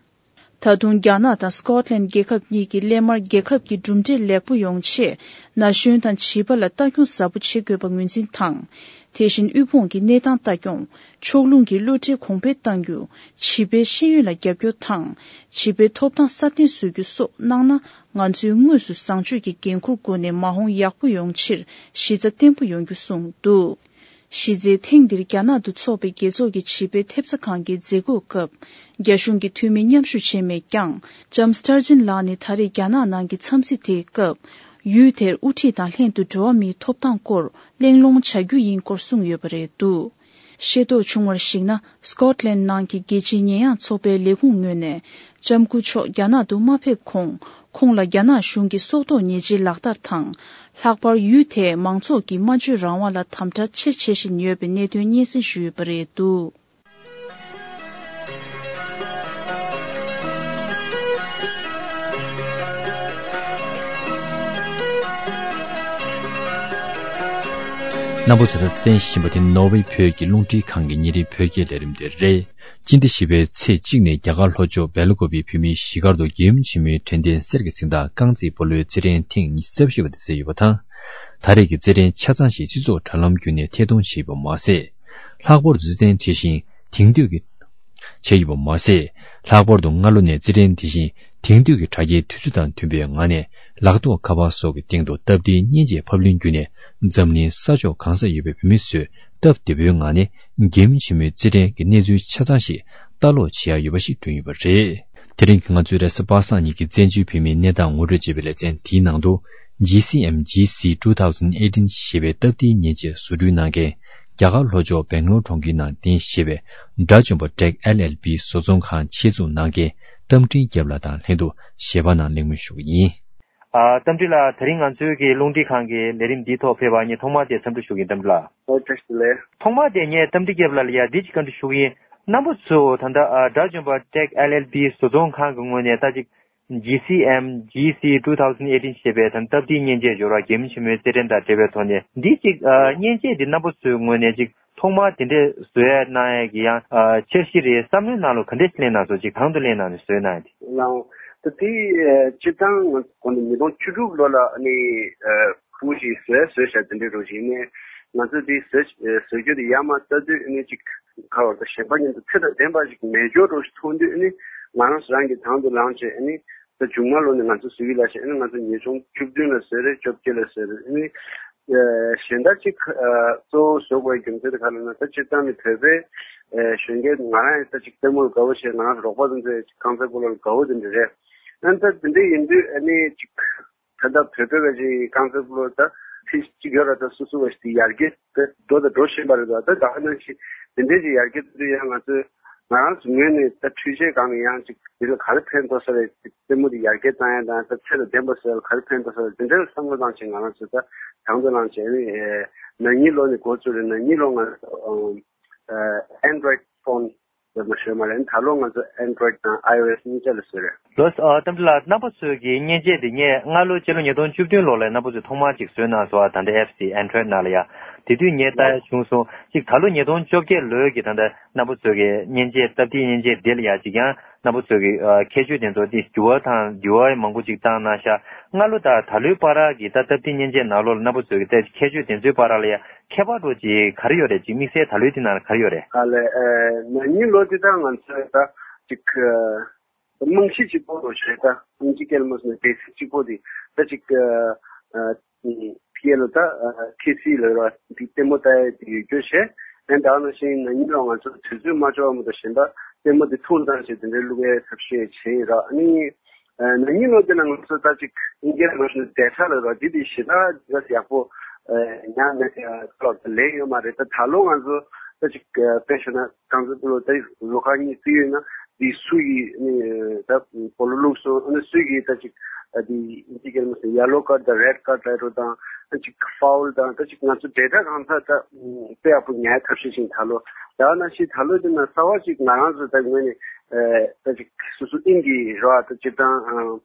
ད་དུང་རྒྱ་ནག་དང་སི་ཀོཊ་ལན་རྒྱལ་ཁབ་གཉིས་ཀྱིས་སླད་མར་རྒྱལ་ཁབ་ཀྱི་གྲུབ་འབྲས་ལེགས་པོ་ཡོང་ཆེད། ན་གཞོན་དང་བྱིས་པ་ལ་ལྟ་སྐྱོང་ཟབ་པོ་བྱེད་དགོས་པ་ངོས་འཛིན་དང་། དེ་བཞིན་དབུལ་ཕོངས་ཀྱི་གནས་སྟངས་ལྟ་སྐྱོང་། ཕྱོགས་ལྷུང་གི་བློ་འདྲི་གོང་འཕེལ་གཏང་རྒྱུ། བྱིས་པའི་ཤེས་ཡོན་ལ་རྒྱབ་སྐྱོར་དང་། བྱིས་པའི་ཐོབ་ཐང་སྲ་བརྟན་བཟོ་རྒྱུ་སོགས་གནང་ན། ང་ཚོས་དངོས་སུ་བཟང་སྤྱོད་ཀྱི་འགན་འཁུར་སྒོ་ནས་མ་འོངས་ཡག་པོ་ཡོང་ཕྱིར་གཞི་རྩ་བརྟན་པོ་ཡོང་རྒྱུ་གསུངས་འདུག་གཞི་རྩའི་ཐེངས་འདིར་རྒྱ་ནག་ཏུ་འཚོགས་པའི་རྒྱལ་ཚོགས་ཀྱི་བྱིས་པའི་ཐེབས་རྩ་ཁང་གི་མཛད་སྒོའི་སྐབས། རྒྱ་གཞུང་གི་འཐུས་མི་མཉམ་ཞུགས་བྱས་མེད་ཀྱང་། ལྕམ་སི་ཊར་ཇིན་ལགས་ནི་ད་རེས་རྒྱ་ནག་ནང་གི་འཚམས་གཟིགས་དེའི་སྐབས། ཡུལ་དེར་དབུ་ཁྲིད་དང་ལྷན་དུ་འགྲོ་བ་མིའི་ཐོབ་ཐང་སྐོར་གླེང་སློང་བྱ་རྒྱུ་ཡིན་སྐོར་གསུངས་ཡོད་པ་རེད་འདུག་ཤེས་རྟོགས་བྱུང་བར་གཞིགས་ན། སི་ཀོཊ་ལན་ནང་གི་རྒྱལ་སྤྱིའི་ཉེས་ཡངས་ཚོགས་པའི་ལས་ཁུངས་ངོས་ནས། ལྕམ་སྐུ་མཆོག་རྒྱ་ནག་ཏུ་མ་ཕེབས་གོང་། ཁོང་ལ་རྒྱ་ནག་གཞུང་གི་སྲོག་ཐོག་ཉེས་ཆད་ལག་བསྟར་དང་། ལྷག་པར་ཡུལ་དེའི་མང་ཚོགས་ཀྱི་སྨྲ་བརྗོད་རང་དབང་ལ་དམ་དྲག་ཆེར་བྱེད་བཞིན་ཡོད་པའི་གནད་དོན་སྙན་སེང་ཞུས་ཡོད་པ་རེད་འདུག་རྣམ་པ་ཚོས་ད་གསན་བཞིན་པ་དེ་ནོར་ཝེ་བོད་ཀྱི་རླུང་འཕྲིན་ཁང་གི་ཉིན་རེའི་བོད་སྐད་ལས་རིམ་དེ་རེད། སྤྱི་ཟླ་བཞི་པའི་ཚེས་གཅིག་ནས་རྒྱ་གར་ལྷོ་ཕྱོགས་སྦེལ་ཀོབ་ཡི་བོད་མིའི་གཞིས་སྒར་དུ་རྒྱལ་ཡུམ་ཆེན་མོའི་དྲན་རྟེན་གསེར་གྱི་གཟེངས་རྟགས་རྐང་རྩེད་སྤོ་ལོའི་རྩེད་འགྲན་ཐེངས་ཉི་ཤུ་རྩ་བཞི་པ་དེ་བསྩལ་ཡོད་པ་དང་། ད་རེས་ཀྱི་རྩེད་འགྲན་ཆ་ཚང་ཞིག་སྤྱི་ཚོགས་དྲ་ལམ་བརྒྱུད་ནས་ཐད་གཏོང་བྱས་ཡོད་པ་མ་ཟད། ལྷག་པར་དུ་རྩེད་འགྲན་དེ་བཞིན་དེང་དུས་ཀྱི་བྱས་ཡོད་པ་མ་ཟད། ལྷག་པར་དུ་སྔ་ལོ་ནས་རྩེད་འགྲན་དེ་བཞིན་དེང་དུས་ཀྱི་དྲ་རྒྱའི་དུས་ཚོད་དང་མཐུན་པའི་ངང་ནས་ལག་ཐོགས་ཁ་པར་སོགས་ཀྱི་སྟེང་དུ་སྟབས་བདེའི་མཉེན་ཆས་ཕབ་ལེན་བརྒྱུད་ནས་འཛམ་གླིང་ས་ཕྱོགས་གང་སར་ཡོད་པའི་བོད་མི་ཚོས་སྟབས་བདེ་པོའི་ངང་ནས་རྒྱལ་ཡུམ་ཆེན་མོའི་རྩེད་འགྲན་གྱི་གནས་ཚུལ་ཆ་ཚང་ཞིག་ལྟ་ཀློག་བྱེད་ཡག་ཡོད་པ་ཞིག་བསྐྲུན་ཡོད་པ་རེད། དེ་རིང་གི་ང་ཚོའི་རེས་གཟའ་པ་སངས་ཉིན་གྱི་བཙན་བྱོལ་བོད་མིའི་གནས་སྟངས་ངོ་སྤྲོད་ཅེས་པའི་ལེ་ཚན་དེའི་ནང་དུ། ཇི་སི་ཨེམ་ཇི་སི་ཊུ་ཐའུ་ཟེན་ཨེ་ཊིན་ཞེས་པའི་སྟབས་བདེའི་མཉེན་ཆས་བཟོ་སྐྲུན་གནང་མཁན། རྒྱ་གར་ལྷོ་ཕྱོགས་སྦེང་ལོར་གྲོང་ཁྱེར་ནང་རྟེན་གཞི་བྱས་པའི་དགྲ་བཅོམ་པ་ཊེག་ཨེལ་ཨེལ་པི་བཟོ་ཚོང་ཁང་ཆེད་འཛུགས་གནང་མཁན་རྟ་མགྲིན་སྐྱབས་ལགས་དང་ལྷན་དུ་ཞལ་པར་ནང་གླེང་མོལ་ཞུ་གི་ཡིན། ཨ། རྟ་མགྲིན་ལགས། དེ་རིང་ང་ཚོའི་གི་རླུང་འཕྲིན་ཁང་གི་ལས་རིམ་འདིའི་ཐོག་ཕེབས་པར་ངས་ཐོག་མར་དེ་འཚམས་འདྲི་ཞུ་གི་ཡིན། རྟ་མགྲིན་ལགས། ཨོ། བཀྲ་ཤིས་བདེ་ལེགས། ཐོག་མར་དེ་ངས་རྟ་མགྲིན་སྐྱབས་ལགས་ལ་ཡ་འདི་ཅིག་བཀའ་འདྲི་ཞུ་གི་ཡིན། རྣམ་པ་ཚོས་ད་ལྟ་ཨ་དགྲ་བཅོམ་པ་ཊེག་ཨེལ་ཨེལ་པི་བཟོ་ཚོང་ཁང་གི་ངོས་ནས་ད་ཅིག་ཇི་སི་ཨེམ་ཇི་སི་ཊུ་ཐའུ་ཟེན་ཨེ་ཊིན་ཞེས་པའི་ད་སྟབས་བདེའི་མཉེན་ཆས་སྦྱོར་བ་རྒྱལ་ཡུམ་ཆེན་མོའི་རྩེད་འགྲན་དང་འབྲེལ་བའི་ཐོག་ནས་འདི་ཅིག་ཨ་མཉེན་ཆས་འདི་རྣམ་པ་ཚོའི་ངོས་ནས་ཅིག་ཐོག་མར་དེ་འདྲས་བཟོ་ཡ་གནང་ཡ་གི་ཡང་ཨ་འཆར་གཞི་རེད། བསམ་བློའི་ནང་ལོགས་ག་འདྲས་ཤིག་སླེབས་གནང་སོང་། ཅིག་གང་དུ་སླེབས་གནང་ནས་བཟོས་གནང་ཡ་དེ། ལའོ། ད་དེ་ཨ་སྤྱིར་བཏང་ང་ཚོ་གོང་ནས་ཉིས་སྟོང་བཅུ་དྲུག་ལོ་ལ་ནི་ཨ་ ཕྲུ་གུ་ཞིག་བཟོས་བཟོས་བཞག་དེ་འདྲའི་རོ་ཞིག་ནས། ང་ཚོ་དེ་བཟོས་བཟོས་རྒྱུ་དེ་ཡར་མར་ལྟ་དུས་ཨ་ནི་ཅིག་ག་བར་དུ་གཞན་པ་མཉམ་དུ་ཚེ་དང་ལྡན་པ་ཞིག་མེད་འཇོག་རོ་ཞིག་མཐོང་དུས། ཨ་ནི་ང་རང་རང་གི་དང་དུ་ལངས་བྱས། ཨ་ནི་ད་མཇུག་མ་ལོ་ནས་ང་ཚོ་བཟོ་གི་ལ་ཞེས། ཨ་ནི་ང་ཚོ་ཉིས་སྟོང་བཅུ་བདུན་ལ་བཟོས་རེད། བཅོ་བརྒྱད་ལ་བཟོས་རེད། ཨ་ནི་གཞན་དག་ཅིག་གཙོ་བོ་བཟོ་དགོས་རྒྱུ་མཚན་དེ་ག་ལ་ན། ད་སྤྱིར་བཏང་ནས་བོད་པའི་གཞོན་སྐྱེས་ང་རང་ཡང་ད་ཅིག་ལྟད་མོར་དགའ་བོ་བྱས། ང་རང་རོགས་པ་ཚོ་ཚོས་ཅིག་རྐང་རྩེད་སྤོ་ལོར་དགའ་བོ་དེ་འདྲ་རེད། ཨ་ནི་ད་དེ་འདྲ་ཡིན་དུས་ཨ་ནི་ཅིག་ད་ལྟ་བོད་པའི་བའི་ཅིག་རྐང་རྩེད་སྤོ་ལོ་ད་ཕི་ཅིག་ཡོད་ར། ད་སོ་སོ་བ་ཞིག་དེ་ཡར་རྒྱས་ད་འགྲོ་དང་འགྲོ་བཞིན་པ་རེད། ད་ད་ག་ནང་བཞིན་དེ་འདྲའི་ཅིག་ཡར་རྒྱས་ད་དུས་ཡང་ང་ཚོས་ང་རང་ཚོ་ངོས་ནས་ད་འཕྲུལ་ཆས་སྒང་ནས་ཡང་ཅིག་དེ་ལ་ག་རེ་ཕན་ཐོགས་ས་རེད། ལྟད་མོ་དེ་ཡར་རྒྱས་བཏང་ཡ་དང་ད་ཚེ་དང་ལྡན་པ་བཟོ་ཡ་ལ་ག་རེ་ཕན་ཐོགས་ས་རེད། དེ་འདྲ་ལ་བསམ་བློ་བཏང་བྱས་ང་རང་ཚོ་ད་དང་དུ་བླངས་བྱས་ནས་ཨེ་ན་ནིང་ལོ་ནས་འགོ་བཙུགས་རེད། ན་ནིང་ལོ་ང་ཨེ་Android phone ལ་མ་ཤོད་མ་རེད། ད་ལོ་ང་ཚོ་Android དང་iOS གཉིས་ཆ་ལ་བཟོས་རེད། ལོས་ཨ་གཏམ་དྲི་ལགས། རྣམ་པ་ཚོའི་གི་མཉེན་ཆས་དེ་ངས་སྔ་ལོ་སྤྱི་ལོ་ཉིས་སྟོང་བཅུ་བདུན་ལོ་ལ་རྣམ་པ་ཚོས་ཐོག་མར་ཅིག་བཟོས་གནང་སོང་། ཨ་ད་ལྟ་apps དེ་Android ནང་ལ་ཡ། དེ་དུས་ངས་ལྟ་ཡ་བྱུང་སོང་། ཅིག་ད་ལོ་ཉིས་སྟོང་བཅོ་བརྒྱད་ལོའི་གི་ད་ལྟ་རྣམ་པ་ཚོའི་གི་མཉེན་ཆས་སྟབས་བདེའི་མཉེན་ཆས་དེ་ལ་ཡ་ཅིག་ཡང་རྣམ་པ་ཚོའི་གི་ཨ་ཁྱད་ཆོས་དེ་ཚོ་དེ་འགྱུར་བ་དང་འགྱུར་བ་མང་པོ་ཅིག་བཏང་གནང་ཤག་སྔ་ལོ་དང་ད་ལོའི་བར་གི་ད་སྟབས་བདེའི་མཉེན་ཆས་ནང་ལོགས་ལ་རྣམ་པ་ཚོའི་གི་ད་ཁྱད་ཆོས་དེ་ཚོའི་བར་ལ་ཡ་ཁྱད་པར་འདྲ་ཅིག་ག་རེ་ཡོད་རེད། ཅིག་དམིགས་བསལ་ད་ལོའི་དེ་ནང་ལ་ག་རེ་ཡོད་རེད། ཨ་ལས་ཨ་ན་ནིང་ལོ་དེ་དང་ང་ཚོས་ད་ཅིག་རྨང་གཞི་གཅིག་པོ་རོ་ཞེས་ད་ཨིན་ཇི་སྐད་ལ་མ་སོང་ན་བེ་སིག་གཅིག་པོ་དེ་ད་ཅིག་ཨ་ཕི་ཨེ་ལ་ད་ཁེ་སི་ལ་ར་དེ་ལྟད་མོ་ལྟ་ཡ་དེ་ཡོད་རྒྱུ་བྱས། ཨ་ད་ག་ནང་བཞིན་ན་ནིང་ལོ་ང་ཚོ་དུས་ཚོད་མ་འཆོལ་བ་མ་གཏོགས་གཞན་པ་ལྟད་མོ་དེ་ཐུང་བཏང་བྱས་དེ་འདྲའི་བླུག་ཡའི་ཐབས་ཤེས་བྱས་ཡིན་ར། ཨ་ནི་ན་ནིང་ལོ་དེ་ན་ང་ཚོ་ད་ཅིག་ཨིན་སྐད་ལ་མ་སོང་ན་ཌེ་ཊ་ལ་ར་དེ་དེ་ཞེ་དྲག་ཡག་པོ་ཉར་མེད་ལོ་ལེན་ཡོད་མ་རེད། ད་ད་ལོ་ང་ཚོ་ད་ཅིག་དཔེ་བཞག་ན་རྐང་རྩེད་སྤོ་ལོ་ད་ལོ་ཁག་གཉིས་བརྩི་ཡོད་ན་དེ་སུ་ཡིས་ནི་ད་སྤོ་ལོ་བླུགས་སོང་། ཨ་ནི་སུ་ཡིས་ད་ཅིག་དེ་ཨིན་ཇི་སྐད་ལ་མ་སོང་ན་ཡེ་ལོ་ཀར་དང་རེཌ་ཀར་རེད་རོ་དང་ད་ཅིག་ཕའུལ་དང་ད་ཅིག་ང་ཚོ་ཌེ་ཊ་གང་ས་ད་དཔེ་ཡག་པོ་ཉར་ཐབས་ཤེས་བྱས་ད་ལོ། ད་ག་ནང་བཞིན་ད་ལོ་དེ་ན་གསར་པ་ཅིག་ང་རང་ཚོ་ད་ངོས་ནས་ཨ་ད་ཅིག་སོ་སོ་ཨིན་གྱི་རོ་ཨ་ད་སྤྱིར་བཏང་ཨ་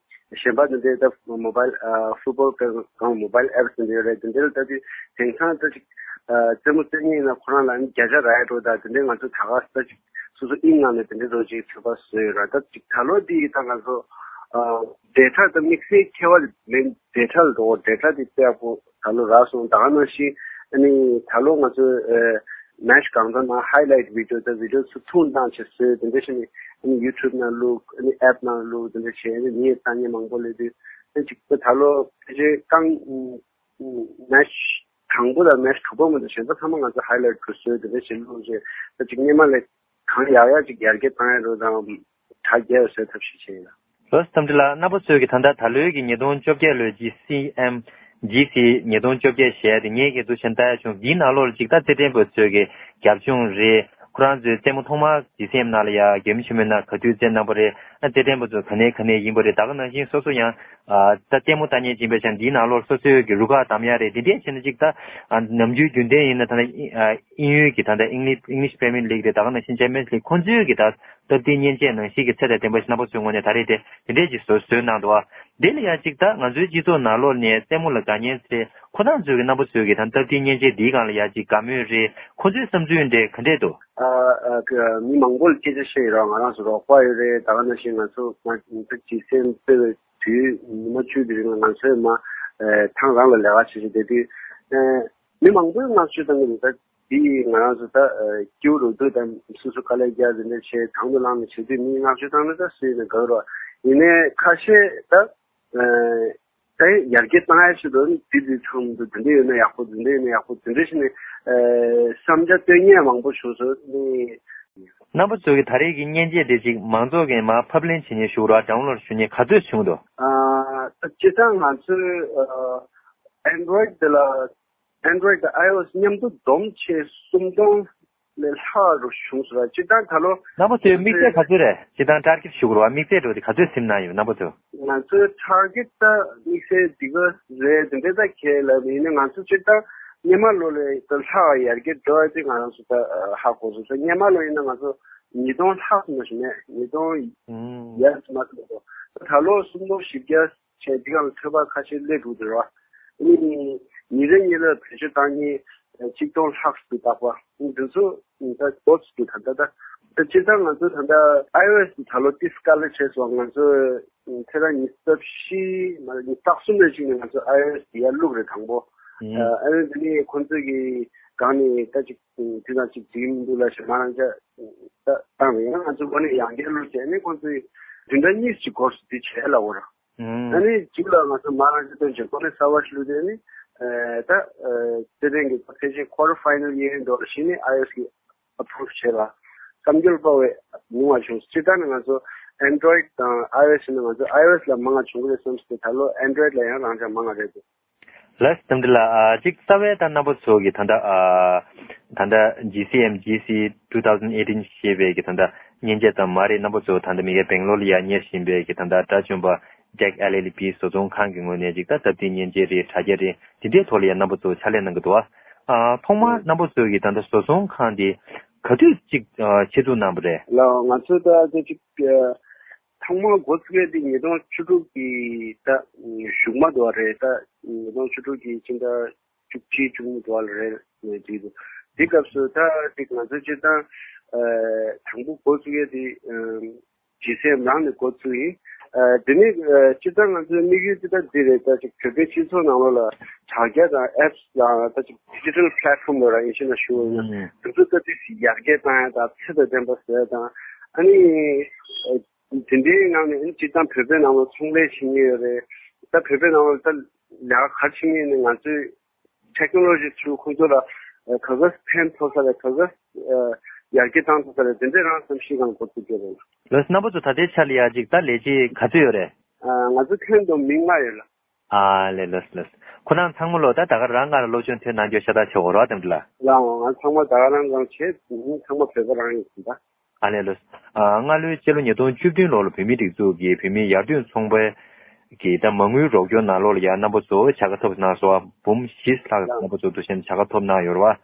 གཞན་པ་དེ་འདྲའི་ད་མོ་བྷལ་ཨ་ཕུཊ་བྷོལ་གང་མོ་བྷལ་ཨེབ་སི་དེ་འདྲ་ཡོད་རེད། དེ་འདྲ་ལ་ད་དེ་དེང་སང་ད་ཅིག་ཨ་རྩེད་མོ་རྩེ་མཁན་ཡིན་ན་ཁོ་རང་ལ་ནི་བརྒྱ་ཆ་རག་འགྲོ། ད་དེ་འདྲའི་ང་ཚོ་ད་ག་ད་ཅིག་སོ་སོ་ཨིན་ནང་ནས་དེ་འདྲའི་རོ་ཅིག་ཚོད་དཔག་བཟོས་ཡོད་ར། ད་ཅིག་ད་ལོ་དེ་ཡི་ད་ང་ཚོ་ཨ་ཌེ་ཊ་ད་དམིགས་བསལ་ཁྱད་པར་མེད། ཌེ་ཊ་ལ་འགྲོ་ཌེ་ཊ་དེ་དཔེ་ཡག་པོ་ད་ལོ་རག་སོང་། ད་ག་ནང་བཞིན་ཨ་ནི་ད་ལོ་ང་ཚོ་ཨ་མེཆ་གང་ཚང་ནང་ཧའི་ལའིཊ་བི་ཌི་ཡོ་ད་བི་ཌི་ཡོ་ཚོ་ཐུང་བཏང་བྱས་བཟོས། དེ་འདྲ་བྱས་ནས་ཨ་ནི་ཡུ་ཊུབ་ནང་བླུགས། ཨ་ནི་ཨེབ་ནང་བླུགས། དེ་འདྲ་བྱས་ཨ་ནི་མི་ཡི་ཐ་སྙད་མང་པོ་སླེབས་དུས་ཨ་ཅིག་ད་ལོ་ཕལ་ཆེར་རྐང་མེཆ་དང་པོ་དང་མེཆ་དྲུག་པ་མ་གཏོགས་གཞན་པ་ཚང་མ་ང་ཚོ་ཧའི་ལའིཊ་བྱས་བཟོས། དེ་འདྲ་བྱས་བླུགས་བྱས་ད་ཅིག་སྔོན་མ་ལས་གང་ཡག་ཡག་ཅིག་ཡར་རྒྱས་བཏང་ཡ་རོ་དང་གྲ་རྒྱས་བཟོས་ཐབས་ཤེས་བྱས་ཡིན། ལོས་གཏམ་དྲི་ལགས། རྣམ་པ་ཚོས་ཀྱི་ད་ལྟ་ད་ལོའི་གི་ཉིས་སྟོང་བཅོ་བརྒྱད་ལོའི་ཇི་སི་ཨེམ་ཇི་སི་ཉིས་སྟོང་བཅོ་བརྒྱད་ཞེས་དེ་ངས་ཀྱི་འདུག་བྱས་ལྟ་ཡ་བྱུང་། འདིའི་ནང་ལོགས་ལ་ཅིག་ད་རྩེད་འགྲན་པ་ཚོས་ཀྱི་རྒྱབ་ལྗོངས་རེད། ཁོ་རང་ཚོའི་རྩེད་མོ་ཐོག་མར་ཇི་སི་ཨེམ་ནང་ལ་ཡ་རྒྱལ་མོ་ཆེན་མོའི་ནང་ག་དུས་རྩེད་གནང་པ་རེད། ཨ་རྩེད་འགྲན་པ་ཚོ་ག་ནས་ག་ནས་ཡིན་པ་རེད། ད་ག་ནང་བཞིན་སོ་སོ་ཡང་ཨ་ད་ལྟད་མོ་ལྟ་མཁན་ཅིག་ཡིན་པའི་ཆ་ནས་འདིའི་ནང་ལོགས་སོ་སོའི་གི་རུ་ཁག་གདམ་ཡ་རེད། འདི་འདྲས་བྱས་ན་ཅིག་ད་ཨ་ནམ་རྒྱུན་རྒྱུན་ལྡན་ཡིན་ན་ད་ལྟ་ཨི་ཨ་དབྱིན་ཡུལ་གྱི་ད་ལྟ་ཨིང་ལི་ཨིང་ལིཤ་པི་རི་མི་ཡར་ལིག་རེད། ད་ག་ནང་བཞིན་ཅེམ་པི་ཡན་སི་ལིག་ཁོང་ཚོའི་གི་ད་སྟབས་བདེའི་མཉེན་ཆས་ནང་བཞིན་གྱི་ཚད་དང་ལྡན་པ་ཞིག་རྣམ་པ་ཚོའི་ངོས་ནས་ད་རེས་དེ་དེ་འདྲས་ཀྱི་བཟོ་བཟོས་གནང་འདུག་བ། དེ་ལ་ཡང་ཅིག་ད་ང་ཚོའི་སྤྱི་ཚོགས་ནང་ལོགས་ནས་རྩེད་མོ་ལ་དགའ་མཁན་ཚོས་ཁོ་རང་ཚོའི་གི་རྣམ་པ་ཚོའི་གི་ད་སྟབས་བདེའི་མཉེན་ཆས་འདིའི་སྒང་ལ་ཡང་ཅིག་དགའ་མོས་རེད། ཁོ་ཚོའི་བསམ་ཚུལ་འདྲ་ག་འདྲས་འདུག་ཨ་ཨ་ཀ་མི་མང་པོ་ལ་སྐད་ཆ་བཤད་ཡོད་ར། ང་རང་ཚོ་རོགས་པ་ཡོད་རེད། ད་ག་ནང་བཞིན་ང་ཚོ་ང་ཚོ་ཇི་སི་ཨེམ་སྤེལ་བའི་དུས་ཉི་མ་བཅུ་དེ་རིང་ལ་ང་ཚོས་མ་ཨ་ཐང་རང་ལ་ལས་ཀ་བྱེད་བཞིན་བསྡད་དུས་ཨ་མི་མང་པོས་བསྔགས་བརྗོད་བཏང་གི་འདུག་ད་འདི་ང་རང་ཚོ་ད་ཨ་སྐྱིད་པོ་རུ་སྡོད་དང་སོ་སོ་དཀའ་ལས་རྒྱག་དེ་འདྲ་བྱས་དང་དུ་བླངས་ནས་བྱེད་དུས་མིས་བསྔགས་བརྗོད་བཏང་ན་ད་སུ་ཡིན་ན་དགའ་གི་རེད། ཡིན་ནའི་ཁ་ཤས་ད་ཨ་ད་ཡར་རྒྱས་བཏང་ཡ་ཆེད་དུ་འདི་འདི་ཚང་དུ་འདི་འདྲ་ཡོད་ན་ཡག་པོ་འདི་འདྲ་ཡོད་ན་ཡག་པོ་འདི་འདྲ་བྱས་ནས་ཨ་བསམ་འཆར་བཏོན་མཁན་མང་པོ་བྱུང་སོང་ནི། རྣམ་པ་ཚོ་གི་ད་རེས་ཀྱི་མཉེན་ཆས་དེ་ཅིག་མང་ཚོགས་ཀྱིས་མར་ཕབ་ལེན་བྱེད་མཁན་ཞུ་རོགས་ཌའོན་ལོཌ་ཞུ་མཁན་ག་ཚོད་བྱུང་འདུག་ཨ་སྤྱིར་བཏང་ང་ཚོས་ཨ་Android་དེ་ལ་Android་དང་iOS་མཉམ་དུ་བསྡོམས་བྱས་སུམ་སྟོང་ལས་ལྷག་རུ་བྱུང་སོང་ར། སྤྱིར་བཏང་ད་ལོ་དམིགས་བསལ་ག་ཚོད་རེད། སྤྱིར་བཏང་ཊར་གེཊ་ཞུ་དགོས་རེད་བ། དམིགས་བསལ་འགྲོ་དེ་ག་ཚོད་ཟིན་གནང་ཡོད་རྣམ་པ་ཚོ། ང་ཚོའི་ཊར་གེཊ་ད་དམིགས་བསལ་འདི་ག་རེད་དེ་འདྲ་ད་ཁྱེད་ལབ་ཡིན་ན་ང་ཚོ་སྤྱིར་བཏང་སྔོན་མ་ལོ་ལས་ད་ལྷག་ཡར་རྒྱས་འགྲོ་ཡ་དེ་ང་རང་ཚོ་ད་ཧ་གོ་སོང་། ད་སྔོན་མ་ལོ་ཡིན་ན་ང་ཚོ་ཉིས་སྟོང་ལྷག་ཙམ་ཞིག་མེད། ཉིས་སྟོང་ཡར་ཙམ་མ་ཙམ་འགྲོ། ད་ལོ་སུམ་སྟོང་བཞི་བརྒྱ་བྱས་འདི་ག་ལ་ཚོད་དཔག་ཁ་ཤས་སླེབས་འདུག་དེ་རེད་བ། ཨ་ནི་ཉིན་རེ་ཉིན་ལ་བེད་སྤྱོད་བཏང་མཁན་ཆིག་སྟོང་ལྷག་ཙམ་འདུག་པ། འདི་ཚོ་ད་ཏོག་ཙམ་འདུག་ད་ལྟ་ད་ད་སྤྱིར་བཏང་ང་ཚོ་ད་ལྟ་iOS་ད་ལོ་ཏིས་དཀའ་ལས་བྱས་སོང་། ང་ཚོ་ ཚེས་གྲངས་ཉི་ཤུ་རྩ་བཞི་མ་རེད། ཉི་ཤུ་རྩ་གསུམ་ནས་གཅིག་ནས་ང་ཚོ་ཨའི་ཨོ་ཨེས་དེ་ཡར་བླུགས་རེད་དང་པོ། ཨ་ནི་དེ་ནས་ཁོང་ཚོས་ཀྱི་སྒང་ནས་ད་ཅིག་དེ་དང་ཅིག་འགྲིག་མི་འདུག་ལབ་བྱས་མ་རང་ཅག་ད་བཏང་རེད། ཡང་ང་ཚོ་འགོ་ནས་ཡང་བསྐྱར་བླུགས་བྱས་ནས་ཁོང་ཚོས་བདུན་ཕྲག་གཉིས་ཅིག་འགོར་སོང་། དེ་བྱས་ལབ་པ་རེད། ཨ་ནི་གཅིག་ལ་ང་ཚོ་མ་རང་ཅག་སྟོན་བྱས་འགོ་ནས་གསར་པ་ཞིག་བླུགས་དེ་ནི་ད་རྩེད་འགྲན་གྱི་ཕལ་ཆེར་quarter final ཡིན་འགྲོ་བཞིན་ནས་ཨའི་ཨོ་ཨེས་ཀྱི་approve བྱས་ལ་བསམ་འགྱུར་དཔའ་བའི་ཉུང་བ་བྱུང་། སྤྱིར་བཏང་ནས་ང་ཚོ་Android དང་ཨའི་ཨོ་ཨེས་ནས་ང་ཚོ་ཨའི་ཨོ་ཨེས་ལ་མང་བ་བྱུང་གི་རེད་བསམ་སྟེ། ད་ལོ་Android ལ་ཡང་རང་འཇགས་མང་བ་རེད་འདུག་ལགས་སོ། རྟ་མགྲིན་ལགས། ཨ་གཅིག་རྩ་བའི་ད་རྣམ་པ་ཚོ་གི་ད་ལྟ་ཨ་ད་ལྟ་G C M G C two thousand eighteen ཞེས་པའི་གི་ད་ལྟ་མཉེན་ཆས་ཙམ་མ་རེད། རྣམ་པ་ཚོ་ད་ལྟ་མི་སྒེར་སྦེང་ལོར་ལ་ཡ་གཉེར་བཞིན་པའི་གི་ད་ལྟ་དགྲ་བཅོམ་པ་Jack L L B བཟོ་ཚོང་ཁང་གི་ངོས་ནས་ཅིག་ད་སྟབས་བདེའི་མཉེན་ཆས་རེད། དྲ་རྒྱ་རེད། དེ་འདྲའི་ཐོག་ལ་ཡང་རྣམ་པ་ཚོ་ཕྱག་ལས་གནང་གི་འདུག་ཨ་ཐོག་མར་རྣམ་པ་ཚོ་གི་ད་ལྟ་བཟོ་ཚོང་ཁང་དེ་ག་དུས་ཅིག་ཨ་ཆེད་འཛུགས་གནང་བ་རེད། ལགས་ང་ཚོ་ད་ལྟ་ཅིག་ཨ་ཐོག་མར་འགོ་བཙུགས་ཡས་དེ་ཉིས་སྟོང་བཅུ་དྲུག་གི་ད་གཞུག་མ་དུ་བ་རེད། ད་ཉིས་སྟོང་བཅུ་དྲུག་གི་ཕྱི་ཟླ་བཅུ་གཅིག་བཅུ་གཉིས་དུ་བ་ལ་རེད་ངས་བྲིས་འདུག་དེ་སྐབས་སུ་ད་ཅིག་ང་ཚོ་སྤྱིར་བཏང་ཨ་དང་པོ་འགོ་བཙུགས་ཡས་དེ་ཨ་ཇི་སི་ཨེམ་རང་ནས་འགོ་བཙུགས་ཡིན། ཨ་དེ་ནས་ཨ་སྤྱིར་བཏང་ང་ཚོའི་དམིགས་ཡུལ་དེ་ད་འདི་རེད། ད་ཅིག་བོད་པའི་སྤྱི་ཚོགས་ནང་ལོགས་ལ་དྲ་རྒྱ་དང་apps དང་ད་ཅིག་digital platform ལ་ར་ཨིན་ཞེ་ན་ཞུ་བ་ཡིན་ན་དེ་ཚོ་ད་དེ་ཡར་རྒྱས་བཏང་ཡ་དང་ཚད་དང་ལྡན་པ་བཟོ་ཡ་དང་། ཨ་ནི་ཨ་དེ་འདྲའི་ངང་ནས་ཨ་ནི་སྤྱིར་བཏང་བོད་པའི་ནང་ལ་ཚོང་ལས་བྱེད་མཁན་ཡོད་རེད། ད་བོད་པའི་ནང་ལ་ད་ལས་ཀ་ག་རེ་བྱེད་མཁན་ཡིན་ནའི་ང་ཚོའི་technology through ཁོང་ཚོ་ལ་ཨ་ག་ག་ཕན་ཐོགས་ས་རེད། ག་ག་ཨ་ཡར་རྒྱས་བཏང་ཐུབ་ས་རེད། དེ་འདྲའི་རང་བསམ་ཤེས་གང་འགོ་ཚུགས་ཀྱི་རེད། ལགས་སོ། རྣམ་པ་ཚོ་ད་ལྟའི་ཆ་ལ་ཡ་ཅིག་ད་ལས་བྱེད་ག་ཚོད་ཡོད་རེད། ཨ་ང་ཚོ་ཁྱོན་བསྡོམས་མི་ལྔ་ཡོད་ལགས། ཨ་ལས། ལགས་སོ་ལགས་སོ། ཁོ་རང་ཚང་མ་ལོ་ད་ད་ག་རང་སྔ་ལ་སློབ་སྦྱོང་ཐོན་གནང་རྒྱུ་ཤ་སྟག་ཆེ་བོ་རེད་བ། དེ་འདྲ་ལ། ལགས་འོང་། ང་ཚང་མ་ད་ག་རང་གང་བྱས། ཚང་མ་བོད་པ་རང་ཡིན་ཟིན་ད། ཨ་ལས། ལགས་སོ། ཨ་སྔ་ལོའི་སྤྱི་ལོ་ཉིས་སྟོང་བཅུ་བདུན་ལོ་ལ་བོད་མིའི་སྒྲིག་འཛུགས་ཀྱིས་བོད་མིའི་ཡར་ཐོན་ཚོང་པའི་གི་ད་མ་དངུལ་རོགས་སྐྱོར་ནང་ལོགས་ལ་ཡ་རྣམ་པ་ཚོ་བྱ་དགའ་ཐོབ་གནང་སོང་བ། འབུམ་བཞི་ལྷག་རྣམ་པ་ཚོ་འདུག་སེ་བྱ་དགའ་ཐོབ་གནང་ཡོད་རེད་བ།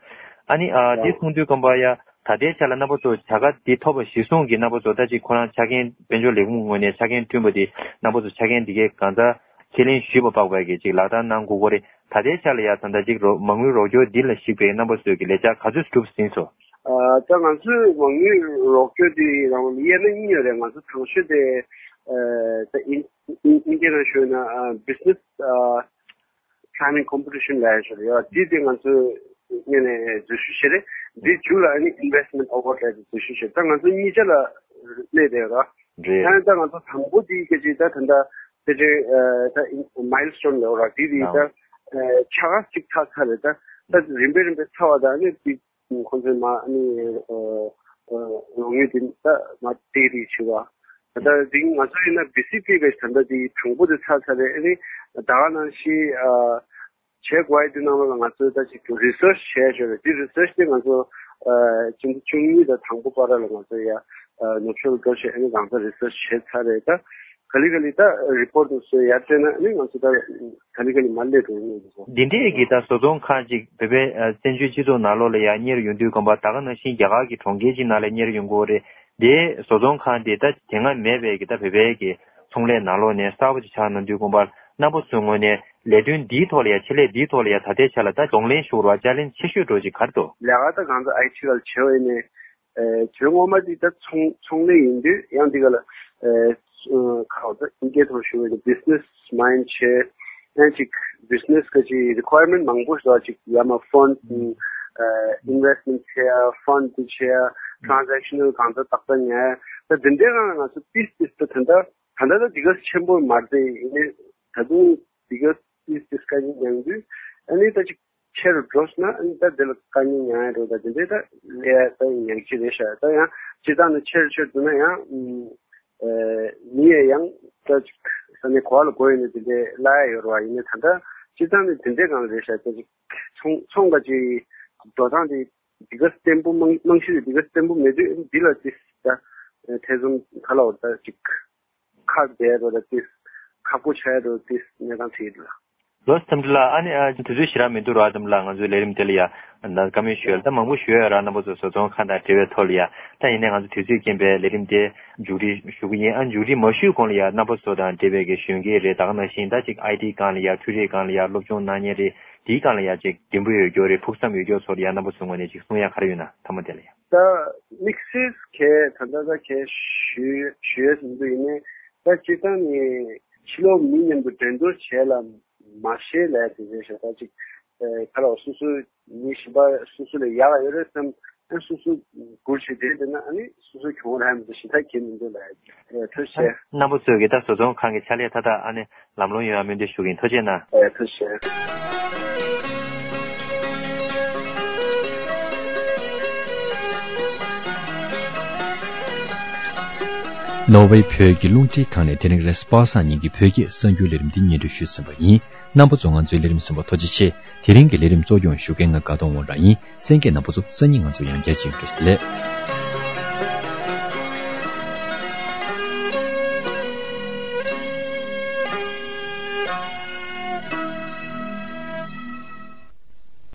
ཨ་ནི་ཨ་དེ་མཐོང་དུས་ཙམ་པ་ཡ་ད་ལྟའི་ཆ་ལ་རྣམ་པ་ཚོ་བྱ་དགའ་འདི་ཐོབ་པ་གཞིར་བཟུང་གི་རྣམ་པ་ཚོ་ད་ཅིག་ཁོ་རང་ཆ་རྐྱེན་དཔལ་འབྱོར་ལས་ཁུངས་ངོས་ནས་ཆ་རྐྱེན་བསྐྲུན་པ་དེ་རྣམ་པ་ཚོ་ཆ་རྐྱེན་འདི་གའི་གང་ཚ་ཁས་ལེན་ཞུས་པ་དཔག་པའི་གི་ཅིག་ལག་བསྟར་གནང་དགོས་ཀྱི་རེད། ད་ལྟའི་ཆ་ལ་ཡ་ད་ལྟ་ཅིག་རོ་མ་དངུལ་རོགས་སྐྱོར་འདི་ལ་གཞིགས་པའི་རྣམ་པ་ཚོས་ཀྱི་ལས་འཆར་ག་ཚོད་གྲུབ་ཟིན་སོང་། ཨ་ད་ང་ཚོའི་མ་དངུལ་རོགས་སྐྱོར་འདི་རང་དབྱེ་ན་གཉིས་ཡོད་རེད། ང་ཚོ་དང་ཤོས་དེ་ཨ་ད་ཨིན་ཨིན་ཨིན་སྐད་ནང་ཞུས་ན་ཨ་business ཨ་planning competition ལབ་ཡ་ཞིག་རེད། ཡ་འདི་དེ་ང་ཚོས་སྔོན་ནས་འཛུལ་ཞུགས་བྱས་རེད། འདི་མཇུག་ལ་ཨ་ནི་investment award ལབ་དེ་འཛུལ་ཞུགས་བྱས། ད་ང་ཚོ་གཉིས་ཆ་ལ་གནས་བསྡད་ཡོད་ར། རེད། ད་ད་ང་ཚོ་དང་པོ་དེ་སྐད་ཆ་ད་ད་ད་དེ་འདྲའི་ཨ་ད་milestone ལབ་ར། དེ་དེ་ད་ཨ་ཆ་ག་ཅིག་ཚར་ཚར་རེད། ད་ད་རིམ་པས་རིམ་པས་ཚར་བ་ད་ཨ་ནི་དེ་ཁོང་ཚོས་མ་ཨ་ནི་ཨ་ཨ་རོགས་དངུལ་དེ་ད་མ་སྤྲད་རེས་བྱས་པ། ད་ད་དེ་ང་ཚོ་ཡིན་ན་བི་སི་པི་གི་ད་ལྟ་དེ་དང་པོ་དེ་ཚར་ཚར་རེད། ཨ་ནི་ད་ག་ནང་བཞིན་ཨ་བྱེད་དགོས་ཡ་དེ་ནང་ལ་ང་ཚོས་ད་ཅིག་research བྱས་ཡོད་རེད། དེ་research དེ་ང་ཚོ་ཨ་ཕྱི་ཟླ་བཅུ་གཉིས་དང་དང་པོ་བར་ལ་ང་ཚོ་ཡ་ཨ་ནུབ་ཕྱོགས་ལ་འགྲོ་བྱས་ཨ་ནི་གང་ཚ་research བྱས་ཚར་རེད། ད་ག་ལེ་ག་ལེ་ད་report དེ་ཚོ་ཡར་སྤྲད་ན་ཨ་ནི་ང་ཚོ་ད་ག་ལེ་ག་ལེ་མར་སླེབས་འགྲོ་གི་ཡིན་འདུག་གོ། འདི་འདྲའི་གི་ད་བཟོ་ཚོང་ཁང་ཅིག་བོད་པའི་ཨ་བཙན་བྱོལ་སྤྱི་ཚོགས་ནང་ལོགས་ལ་ཡ་གཉེར་ཡོང་དུས་ཙམ་པ་ད་ག་ནང་བཞིན་རྒྱ་གར་གྱི་གྲོང་ཁྱེར་ཅིག་ནང་ལ་གཉེར་ཡོང་དགོས་རེད། དེ་བཟོ་ཚོང་ཁང་དེ་ད་དེ་སྔ་མེད་པའི་གི་ད་བོད་པའི་གི་ཚོང་ལས་ནང་ལོགས་ནས་གསར་པ་ཅིག་ཆགས་གནང་དུས་ཙམ་པ་རྣམ་པ་ཚོའི་ངོས་ནས་ལས་དོན་འདིའི་ཐོག་ལ་ཡ་ཆེད་ལས་འདིའི་ཐོག་ལ་ཡ་ད་ལྟའི་ཆ་ལ་ད་གདོང་ལེན་ཞུ་བར་challenge ཆེ་ཤོས་འདྲ་ཅིག་ག་རེ་འདུག་ལས་ཀ་ད་གང་ཚ་ཨའི་ཊི་ལ་བྱེད་འོས་ནས་ཨེ་དོན་ངོ་མ་འདི་ད་ཚོང་ཚོང་ལས་ཡིན་དུས་ཡང་འདི་ག་ལ་ཨེ་ཁ་བ་ད་ཨིན་སྐད་ཐོག་ཞུ་བའི་business mind བྱས། ཨེ་ཅིག་business ག་ཅིག་requirement མང་པོ་ཞིག་ཅིག་ཡ་མ་fund ཨེ་investment བྱས་ཡ། fund དེ་བྱས་ཡ། transactional གང་ཚ་ཏག་ཏག་ཉར་ཡ། ད་དེ་འདྲའི་རང་ང་ཚོ་ཏིས་ཏིས་ད་ད་ད་ད་ད་འདི་ག་ཆེན་པོ་མ་རེད། ཡིན་ནའི་ད་དུང་འདི་ག་ཏིས་ཏིས་དཀའ་ངལ་མྱངས་དུས་ཨ་ནི་ད་ཅིག་ཆེ་རུ་འགྲོ་སོང་ན་ཨ་ནི་ད་དེ་ལ་དཀའ་ངལ་མྱངས་ཡ་འགྲོ། ད་དེ་འདྲའི་ད་ལས་ད་ཉག་གཅིག་རེད་ཤག་ད་ཡང་སྤྱིར་བཏང་ནས་ཆེ་རུ་ཆེ་རུ་འགྲོ་ན་ཡང་ཨ་མི་ཡས་ཡང་ད་ཅིག་ས་གནས་ག་བ་ལ་དགོས་ཡོད་ནས་དེ་འདྲའི་གླ་ཡ་ཡོད་རེད་བ། ཡིན་ནའི་ད་ལྟ་སྤྱིར་བཏང་ནས་དེ་འདྲའི་སྒང་ལ་རེད་ཤག་ད་ཅིག་ཚོང་ཚོང་ག་ཅིག་འགྲོ་སྟངས་དེ་འདི་ག་བརྟན་པོ་རྨང་རྨང་གཞི་དེ་འདི་ག་བརྟན་པོ་མེད་དུས་འདི་ལ་ཅིག་ད་ཐེ་ཚོམ་ག་ལ་འོ་ད་ཅིག་ཁག་བསྡད་འགྲོ་ད་ཏིས་ཁག་པོ་ཆགས་འགྲོ་ཏིས་གནས་སྟངས་དེ་ཡིན་ལ། ལགས་སོ་འཚམས་འདྲི་ལགས། ཨ་ནི་ཨ་དུས་ཚོད་ཞེ་དྲག་མི་འདུག་ར། འཚམས་འདྲི་ལགས། ང་ཚོའི་ལས་རིམ་དེ་ལ་ཡ་ད་བཀའ་མོལ་ཞུ་ཡ་ལ་ད་མང་པོ་ཞུ་ཡ་ཡོད་ར། རྣམ་པ་ཚོ་བཟོ་ཚོང་ཁང་དང་འབྲེལ་བའི་ཐོག་ལ་ཡ་ད་ཡིན་ནའི་ང་ཚོ་དུས་ཚོད་རྐྱེན་པས་ལས་རིམ་དེ་མཇུག་སྒྲིལ་ཞུ་གི་ཡིན། ཨ་མཇུག་སྒྲིལ་མ་ཞུས་གོང་ལ་ཡ་རྣམ་པ་ཚོ་དང་འབྲེལ་བའི་གི་གཞོན་སྐྱེས་རེད། ད་ག་ནང་བཞིན་ད་ཅིག་ཨའི་ཊི་སྒང་ལ་ཡ་འཕྲུལ་རིག་སྒང་ལ་ཡ་སློབ་སྦྱོང་གནང་མཁན་རེད། དེའི་སྒང་ལ་ཡ་ཅིག་འདུན་པ་ཡོད་རྒྱུ་རེད། ཕུགས་བསམ་ཡོད་རྒྱུ་ཚོ་ལ་ཡ་རྣམ་པ་ཚོའི་ངོས་ནས་ཅིག་གསུང་ཡ་ག་རེ་ཡོད་ན་མཐའ་མ་དེ་ལ་ཡ། ད་དམིགས་བསལ་གལ་ད་ལྟ་ད་གལ་ཞུ་ཞུ་ཡས་མི་འདུག་ཡིན་ནའི་ ད་སྤྱིར་བཏང་ནས་ཕྱི་ལོགས་མི་མཉམ་དུ་འགྲན་བསྡུར་བྱས་ལ་མ་ཤེས་ལས་དེ་བྱས་ཤོག་ད་ཅིག་ཨ་ཁ་ལོ་སོ་སོའི་མི་གཞན་པ་སོ་སོ་ལས་ཡག་ཡོད་རེད་བསམ། ཨ་སོ་སོ་སྒུར་བྱེད་དེ་དེ་ན་ཨ་ནི་སོ་སོའི་གྱོང་རག་མི་འདུག་ཞེ་དྲག་གི་མི་འདུག་ལ། ཨ་ཐུགས་རྗེ་ཆེ། རྣམ་པ་ཚོས་ཀྱི་ད་བཟོ་ཚོང་ཁང་གི་ཕྱག་ལས་མཐའ་དག་ཨ་ནི་ལམ་ལྷོང་ཡོང་བ་སྨོན་འདུན་ཞུ་གི་ཡིན། ཐུགས་རྗེ་གནང་། ཨ་ཐུགས་རྗེ་ཆེ། ནོར་ཝེ་བོད་ཀྱི་རླུང་འཕྲིན་ཁང་ནས་དེ་རིང་རེས་པ་སངས་ཉིན་གྱི་བོད་སྐད་གསར་འགྱུར་ལས་རིམ་འདི་སྙན་སྒྲོན་ཞུས་ཟིན་པ་ཡིན། རྣམ་པ་ཚོ་ང་ཚོའི་ལས་རིམ་གསན་པར་ཐུགས་རྗེ་ཆེ། དེ་རིང་གི་ལས་རིམ་གཙོ་སྐྱོང་ཞུ་མཁན་ང་དགའ་གདོང་དབང་རང་ཡིན། གསན་མཁན་རྣམ་པ་ཚོ་སང་ཉིན་ང་ཚོ་ཡང་བསྐྱར་མཇལ་ཡོང་། བཀྲ་ཤིས་བདེ་ལེགས།